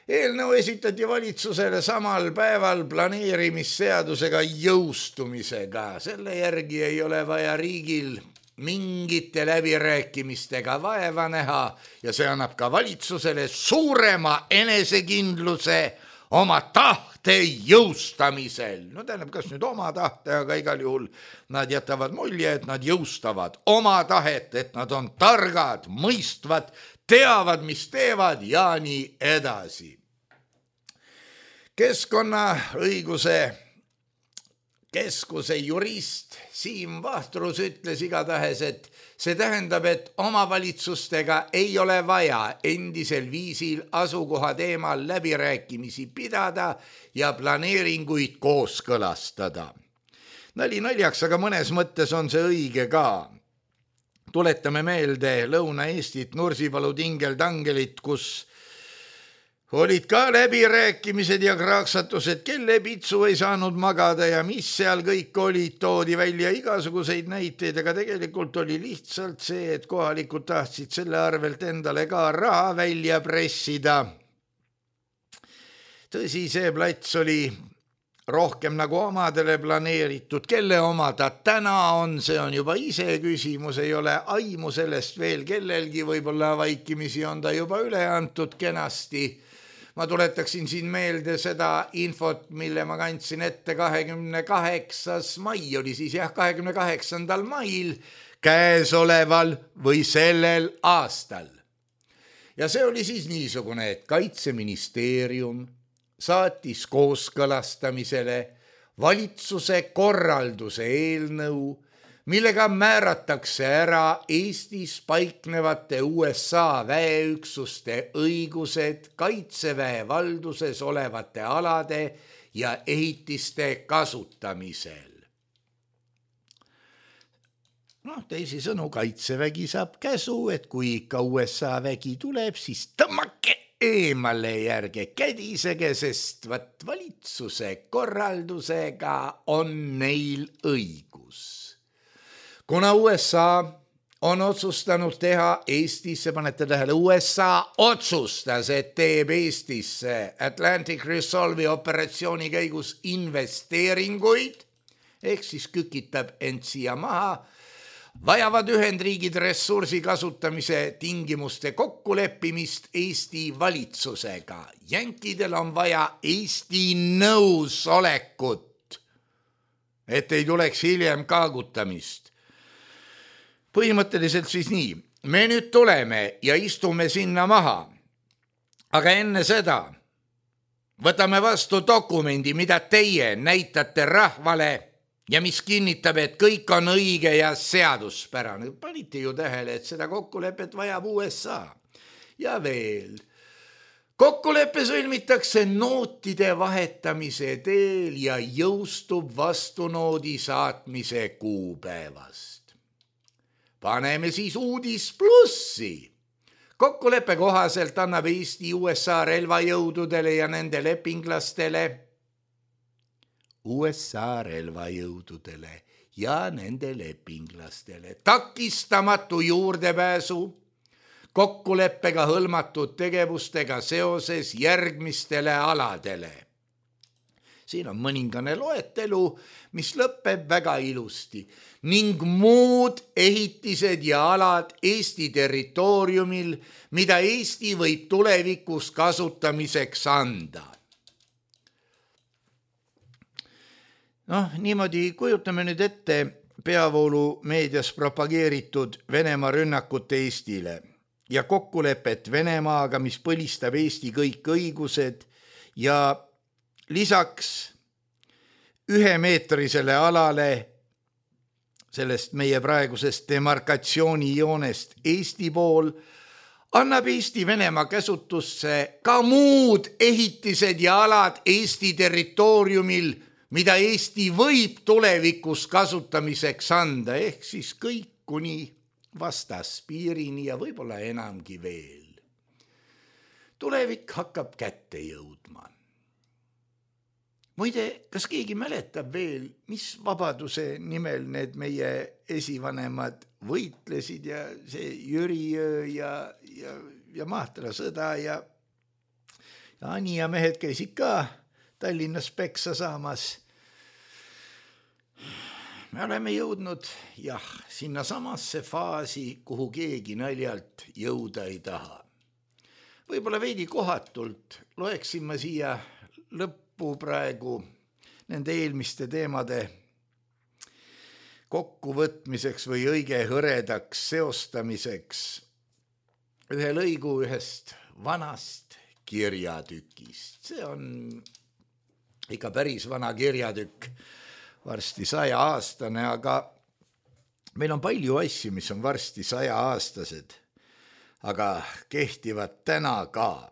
Eelnõu esitati valitsusele samal päeval planeerimisseadusega jõustumisega. Selle järgi ei ole vaja riigil mingite läbirääkimistega vaeva näha ja see annab ka valitsusele suurema enesekindluse oma tahte jõustamisel. No tähendab, kas nüüd oma tahte, aga igal juhul nad jätavad mulje, et nad jõustavad oma tahet, et nad on targad, mõistvad, teavad, mis teevad ja nii edasi. Keskkonnaõiguse keskuse jurist Siim Vahtrus ütles igatahes, et see tähendab, et omavalitsustega ei ole vaja endisel viisil asukoha teemal läbirääkimisi pidada ja planeeringuid kooskõlastada. Nali naljaks, aga mõnes mõttes on see õige ka. Tuletame meelde Lõuna-Eestit, Nursipalu tingeltangelit, kus olid ka läbirääkimised ja kraaksatused, kelle pitsu ei saanud magada ja mis seal kõik olid, toodi välja igasuguseid näiteid, aga tegelikult oli lihtsalt see, et kohalikud tahtsid selle arvelt endale ka raha välja pressida. Tõsi, see plats oli rohkem nagu omadele planeeritud, kelle oma ta täna on, see on juba ise küsimus, ei ole aimu sellest veel kellelgi, võib-olla vaikimisi on ta juba üle antud kenasti. Ma tuletaksin siin meelde seda infot, mille ma kandsin ette 28. mai, oli siis 28. mail käesoleval või sellel aastal. Ja see oli siis niisugune, et Kaitseministeerium saatis kooskõlastamisele valitsuse korralduse eelnõu, millega määratakse ära Eestis paiknevate USA väeüksuste õigused Kaitseväe valduses olevate alade ja ehitiste kasutamisel. Teisisõnu, Kaitsevägi saab käsu, et kui ikka USA vägi tuleb, siis tõmmake eemale järge kädisege, sest valitsuse korraldusega on neil õigus. Kuna USA on otsustanud teha Eestisse, panete tähele, USA otsustas, et teeb Eestisse Atlantic Resolve'i operatsiooni käigus investeeringuid, ehk siis kükitab end siia maha, vajavad Ühendriigid ressursi kasutamise tingimuste kokkuleppimist Eesti valitsusega. Jänkidel on vaja Eesti nõusolekut, et ei tuleks hiljem kaagutamist. Põhimõtteliselt siis nii, me nüüd tuleme ja istume sinna maha, aga enne seda võtame vastu dokumendi, mida teie näitate rahvale ja mis kinnitab, et kõik on õige ja seaduspärane. Panite ju tähele, et seda kokkulepet vajab USA. Ja veel, kokkulepe sõlmitakse nootide vahetamise teel ja jõustub vastunoodi saatmise kuupäevast. Paneme siis uudis plussi. Kokkuleppe kohaselt annab Eesti USA relvajõududele ja nende lepinglastele takistamatu juurdepääsu kokkuleppega hõlmatud tegevustega seoses järgmistele aladele. Siin on mõningane loetelu, mis lõpeb väga ilusti, ning muud ehitised ja alad Eesti territooriumil, mida Eesti võib tulevikus kasutamiseks anda. Niimoodi kujutame nüüd ette peavoolu meedias propageeritud Venemaa rünnakut Eestile ja kokkulepet Venemaaga, mis põlistab Eesti kõik õigused ja lisaks 1-meetrisele alale sellest meie praegusest demarkatsioonijoonest Eesti pool annab Eesti Venemaa käsutusse ka muud ehitised ja alad Eesti territooriumil, mida Eesti võib tulevikus kasutamiseks anda, ehk siis kõik kuni vastaspiirini ja võib-olla enamgi veel. Tulevik hakkab kätte jõudma. Muide, kas keegi mäletab veel, mis vabaduse nimel need meie esivanemad võitlesid ja see Jüriöö ja Mahtra sõda ja Ani ja mehed käisid ka Tallinnas peksa saamas. Me oleme jõudnud, sinna samasse faasi, kuhu keegi naljalt jõuda ei taha. Võib-olla veidi kohatult loeksin ma siia lõppu praegu nende eelmiste teemade kokkuvõtmiseks või õige hõredaks seostamiseks ühe lõigu ühest vanast kirjatükist. See on ikka päris vana kirjatükk, varsti 100-aastane, aga meil on palju asju, mis on varsti 100-aastased, aga kehtivad täna ka.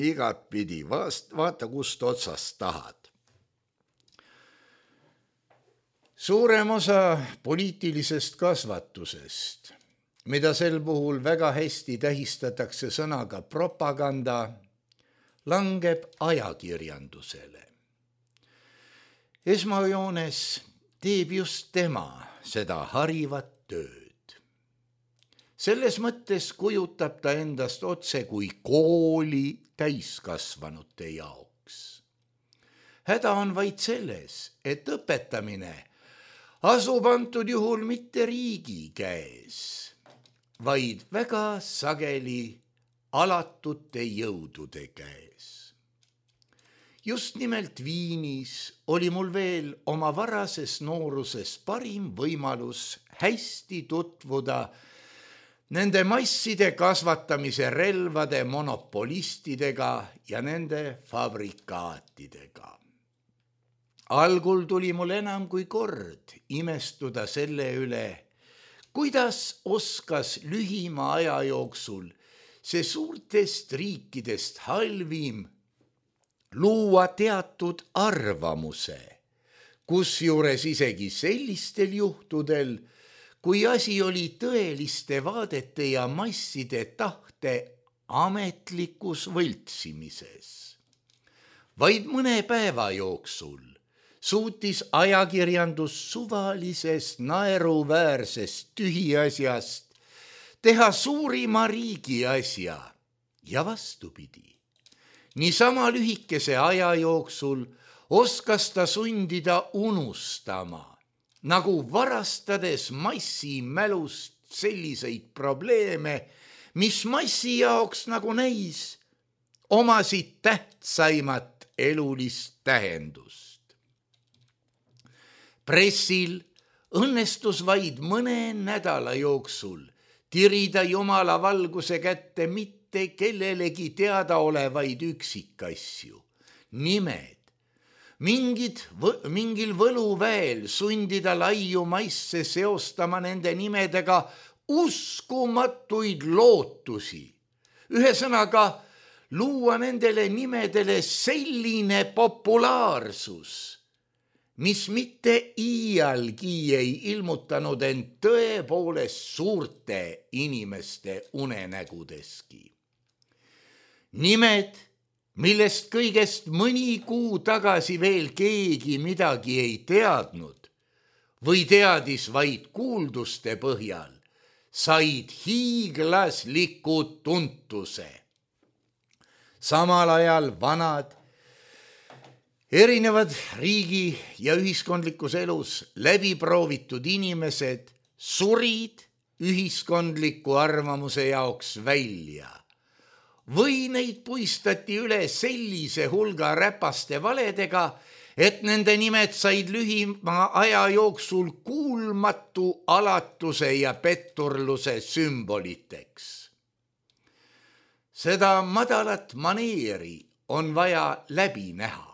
Igat pidi, vaata kust otsast tahad. Suurem osa poliitilisest kasvatusest, mida sel puhul väga hästi tähistatakse sõnaga propaganda, langeb ajakirjandusele. Esmajoones teeb just tema seda harivat tööd. Selles mõttes kujutab ta endast otse kui kooli täiskasvanute jaoks. häda on vaid selles, et õpetamine asub antud juhul mitte riigi käes, vaid väga sageli alatute jõudude käes. Just nimelt Viinis oli mul veel oma varases nooruses parim võimalus hästi tutvuda nende masside kasvatamise relvade monopolistidega ja nende fabrikaatidega. Algul tuli mul enam kui kord imestuda selle üle, kuidas oskas lühima aja jooksul see suurtest riikidest halvim luua teatud arvamuse, kusjuures isegi sellistel juhtudel, kui asi oli tõeliste vaadete ja masside tahte ametlikus võltsimises. Vaid mõne päeva jooksul suutis ajakirjandus suvalisest naeruväärsest tühiasjast teha suurima riigi asja ja vastupidi. Niisama lühikese aja jooksul oskas ta sundida unustama, nagu varastades massi mälust selliseid probleeme, mis massi jaoks nagu näis, omasid tähtsaimat elulist tähendust. Pressil õnnestus vaid mõne nädala jooksul tirida Jumala valguse kätte mitte kellelegi teadaolevaid üksikasju, nimed, mingil võluväel sundida laiu maisse seostama nende nimedega uskumatuid lootusi. Ühesõnaga, luua nendele nimedele selline populaarsus, mis mitte iialgi ei ilmutanud end tõepoolest suurte inimeste unenägudeski. Nimed, millest kõigest mõni kuu tagasi veel keegi midagi ei teadnud või teadis vaid kuulduste põhjal, said hiiglasliku tuntuse. Samal ajal vanad, erinevad riigi ja ühiskondlikus elus läbiproovitud inimesed surid ühiskondliku arvamuse jaoks välja või neid puistati üle sellise hulga räpaste valedega, et nende nimed said lühima aja jooksul kuulmatu alatuse ja petturluse sümboliteks. Seda madalat maneeri on vaja läbi näha.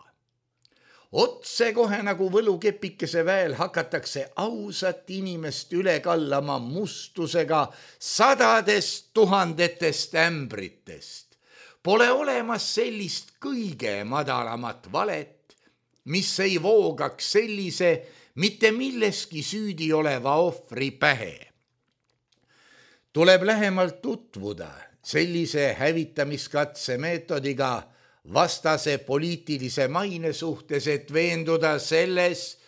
Otsekohe nagu võlukepikese väel hakatakse ausat inimest üle kallama mustusega sadadest tuhandetest ämbritest. Pole olemas sellist kõige madalamat valet, mis ei voogaks sellise mitte milleski süüdi oleva ohvri pähe. Tuleb lähemalt tutvuda sellise hävitamiskatse meetodiga vastase poliitilise maine suhtes, et veenduda selles,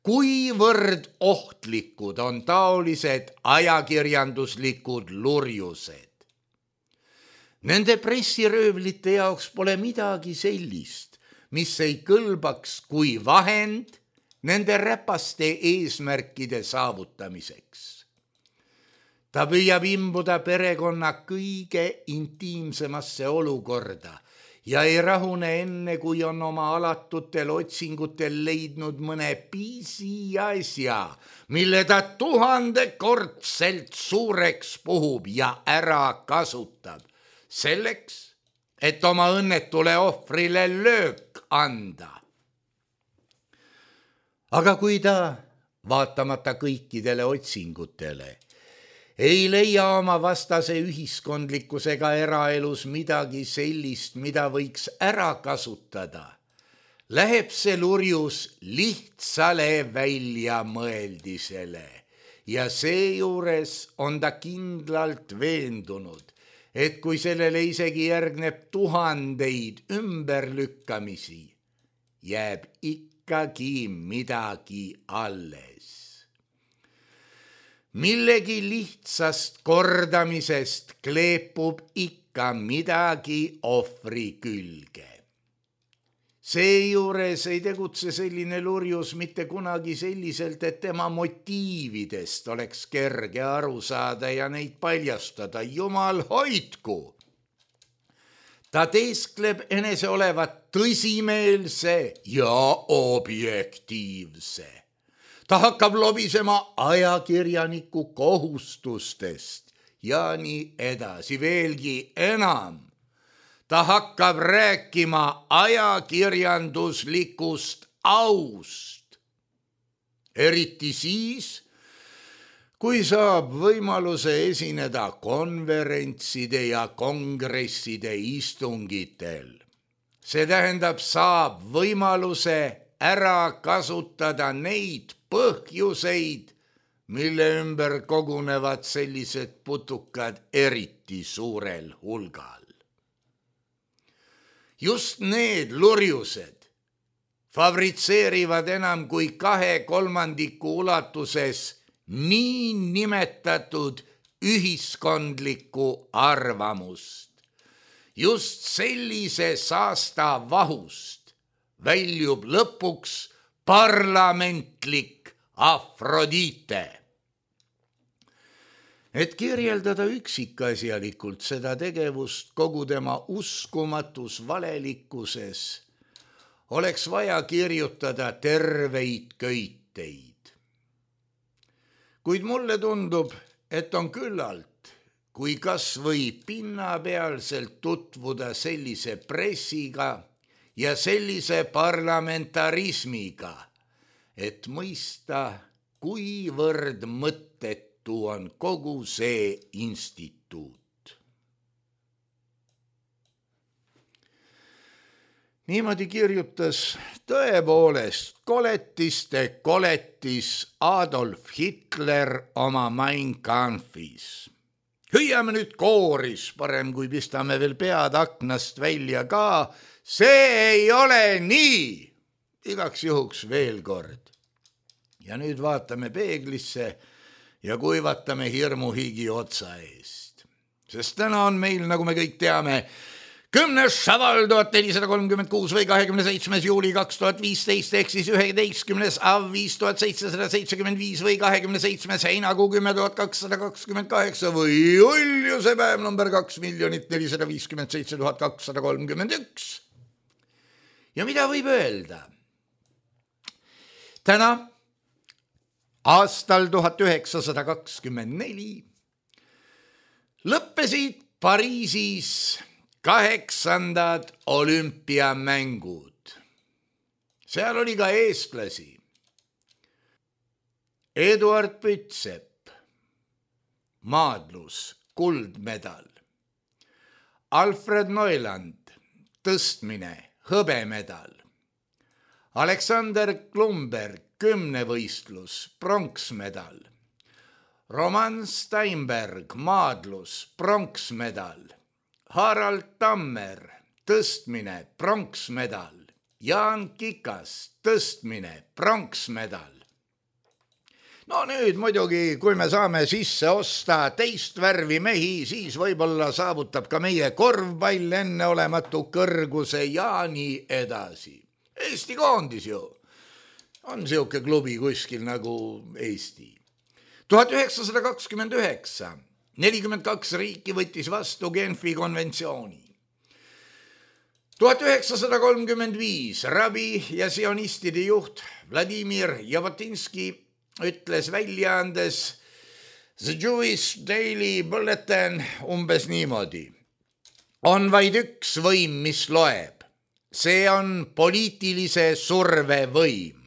kuivõrd ohtlikud on taolised ajakirjanduslikud lurjused. Nende pressiröövlite jaoks pole midagi sellist, mis ei kõlbaks kui vahend nende räpaste eesmärkide saavutamiseks. Ta püüab imbuda perekonna kõige intiimsemasse olukorda ja ei rahune enne, kui on oma alatutel otsingutel leidnud mõne piisi asja, mille ta 1000-kordselt suureks puhub ja ära kasutab, selleks, et oma õnnetule ohvrile löök anda. Aga kui ta, vaatamata kõikidele otsingutele, ei leia oma vastase ühiskondlikkusega eraelus midagi sellist, mida võiks ära kasutada, läheb see lurjus lihtsale väljamõeldisele ja seejuures on ta kindlalt veendunud, et kui sellele isegi järgneb 1000 ümberlükkamisi, jääb ikkagi midagi alles. Millegi lihtsast kordamisest kleepub ikka midagi ohvri külge. Seejuures ei tegutse selline lurjus mitte kunagi selliselt, et tema motiividest oleks kerge aru saada ja neid paljastada. Jumal hoidku! Ta teeskleb enese olevat tõsimeelse ja objektiivse. Ta hakkab lobisema ajakirjaniku kohustustest ja nii edasi, veelgi enam. Ta hakkab rääkima ajakirjanduslikust aust. Eriti siis, kui saab võimaluse esineda konverentside ja kongresside istungitel. See tähendab, saab võimaluse ära kasutada neid põhjuseid, mille ümber kogunevad sellised putukad eriti suurel hulgal. Just need lurjused fabritseerivad enam kui 2/3 ulatuses nii nimetatud ühiskondlikku arvamust. Just sellise saasta vahust väljub lõpuks parlamentlik Afrodite. Et kirjeldada üksikasjalikult seda tegevust kogu tema uskumatus valelikkuses, oleks vaja kirjutada terveid köiteid. Kuid mulle tundub, et on küllalt, kui kas või pinnapealselt tutvuda sellise pressiga ja sellise parlamentarismiga, et mõista, kuivõrd mõttetu on kogu see instituut. Niimoodi kirjutas tõepoolest koletiste koletis Adolf Hitler oma Mein Kampfis. Hüüame nüüd kooris, parem kui pistame veel pead aknast välja ka. See ei ole nii. Igaks juhuks veel kord. Ja nüüd vaatame peeglisse ja kuivatame hirmuhigi otsa eest. Sest täna on meil, nagu me kõik teame, 10. Šaval 1436 või 27. juuli 2015 ehk siis 11. Av 5775 või 27. heinakuu 10.228 või uljuse päev number 2,457,231. Ja mida võib öelda? Täna aastal 1924 lõppesid Pariisis 8. olümpiamängud. Seal oli ka eestlasi. Eduard Pütsepp, maadlus, kuldmedal. Alfred Neuland, tõstmine, hõbemedal. Aleksander Klumberg, kümnevõistlus, pronksmedal. Roman Steinberg, maadlus, pronksmedal. Harald Tammer, tõstmine, pronksmedal. Jaan Kikas, tõstmine, pronksmedal. No nüüd muidugi, kui me saame sisse osta teist värvi mehi, siis võib-olla saavutab ka meie korvpall enneolematu kõrguse ja nii edasi. Eesti koondis ju. On siuke klubi kuskil nagu Eesti. 1929, 42 riiki võttis vastu Genfi konventsiooni. 1935 rabi ja sionistide juht Vladimir Jabotinski ütles väljaandes The Jewish Daily Bulletin umbes niimoodi. On vaid üks võim, mis loeb. See on poliitilise surve võim.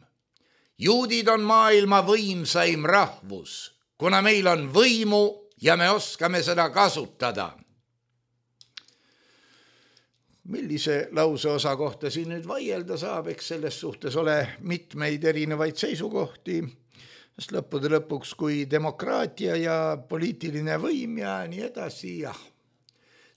Juudid on maailma võimsaim rahvus, kuna meil on võimu ja me oskame seda kasutada. Millise lauseosa kohta siin nüüd vaielda saab, eks selles suhtes ole mitmeid erinevaid seisukohti, sest lõppude lõpuks kui demokraatia ja poliitiline võim ja nii edasi, jah.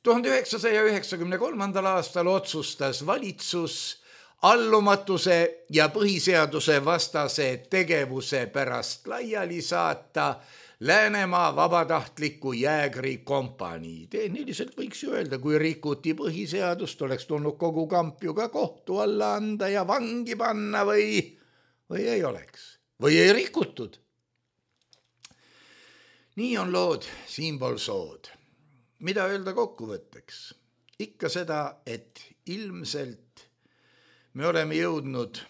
1993. aastal otsustas valitsus allumatuse ja põhiseaduse vastase tegevuse pärast laiali saata Läänemaa vabatahtliku jäägri kompanii. Tehniliselt võiks ju öelda, kui rikuti põhiseadust, oleks tulnud kogu kamp ju ka kohtu alla anda ja vangi panna või ei oleks. Või ei rikutud. Nii on lood siinpool sood. Mida öelda kokkuvõtteks? Ikka seda, et ilmselt me oleme jõudnud,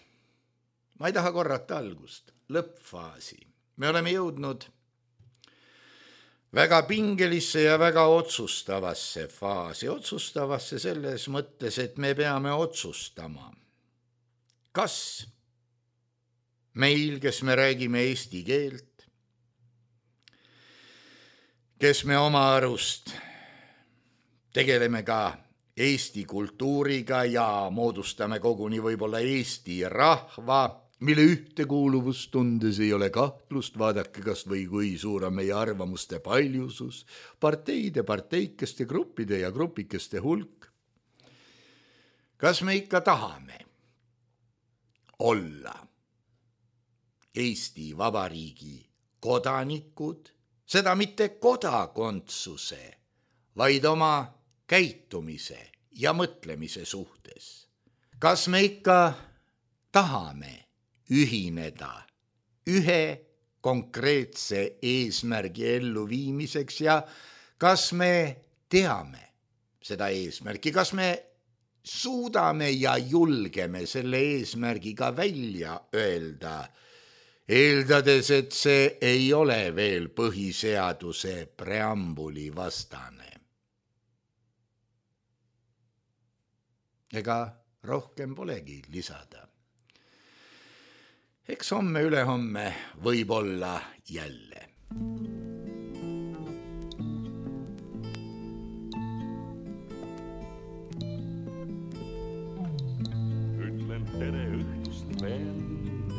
ma ei taha korrata algust, lõppfaasi. Me oleme jõudnud väga pingelisse ja väga otsustavasse faasi. Otsustavasse selles mõttes, et me peame otsustama, kas meil, kes me räägime eesti keelt, kes me oma arust tegeleme ka eesti kultuuriga ja moodustame koguni võib-olla eesti rahva, mille ühtekuuluvustundes ei ole kahtlust, vaadake kas või kui suur on meie arvamuste paljusus, parteide, parteikeste, gruppide ja grupikeste hulk. Kas me ikka tahame olla Eesti Vabariigi kodanikud, seda mitte kodakondsuse, vaid oma käitumise ja mõtlemise suhtes? Kas me ikka tahame ühineda ühe konkreetse eesmärgi elluviimiseks ja kas me teame seda eesmärki, kas me suudame ja julgeme selle eesmärgiga välja öelda, eeldades, et see ei ole veel põhiseaduse preambuli vastane. Ega rohkem polegi lisada. Eks homme ülehomme võib olla jälle. Ütlen tere õhtust vend,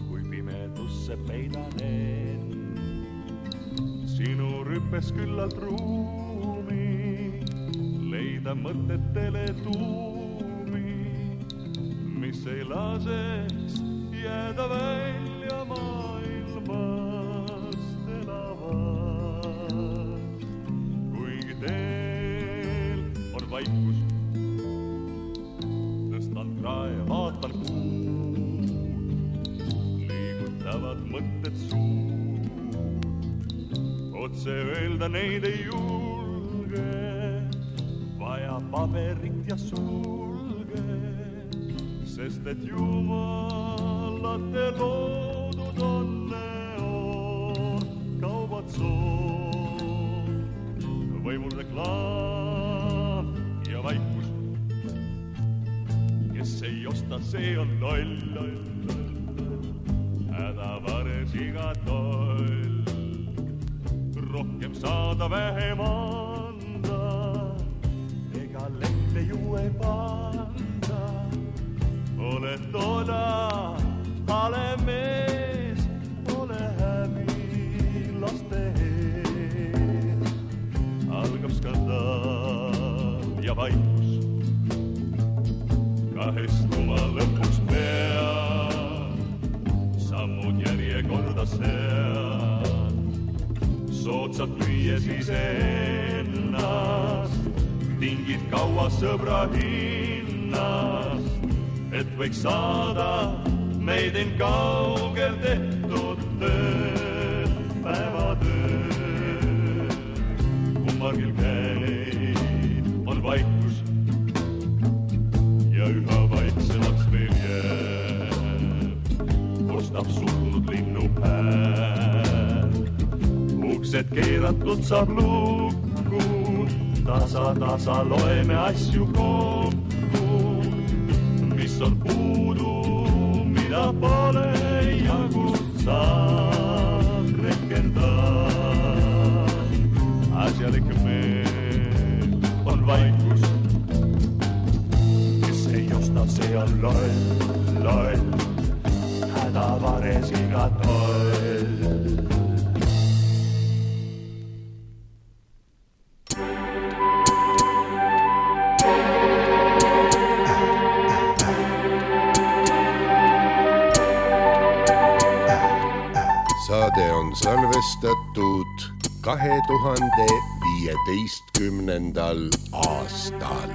kui pimedusse peidanen. Sinu rüppes küllalt ruumi, leida mõtetele tuumi, mis ei laseks jääda välja maailmast elavad. Kuigi teel on vaikus, tõstan krae, vaatan kuud, liigutavad mõtted suud. Otse öelda neid ei julge, vaja paberit ja sulge, sest et jumalate loodud onne on kaubad soon. Võimul reklaam ja vaikus, kes ei osta, see on loll. Hädavares iga toll, rohkem saada, vähem anda, ega lehte ju ei panda. Ole toda, hale mees, ole häbi laste ees. Algab skandaal ja vaikus, kahestuma lõpuks peab, sammud järjekorda sead, soodsalt lüües iseennast, tingid kaua sõbra hinnast, et võiks saada meid end kaugel tehtud tööd, päevatööd. Kummargil käib, on vaikus ja üha vaiksemaks veel jääb. Kostab surnud linnu hääl, uksed keeratud saab lukku, tasa loeme asju kokku, mis on puudu, mida pole ja kust saab rehkendada. Asjalik meel on vaikus, kes ei osta, see on loll, hädavares iga toll. Saade on salvestatud salvestatud 2015. aastal.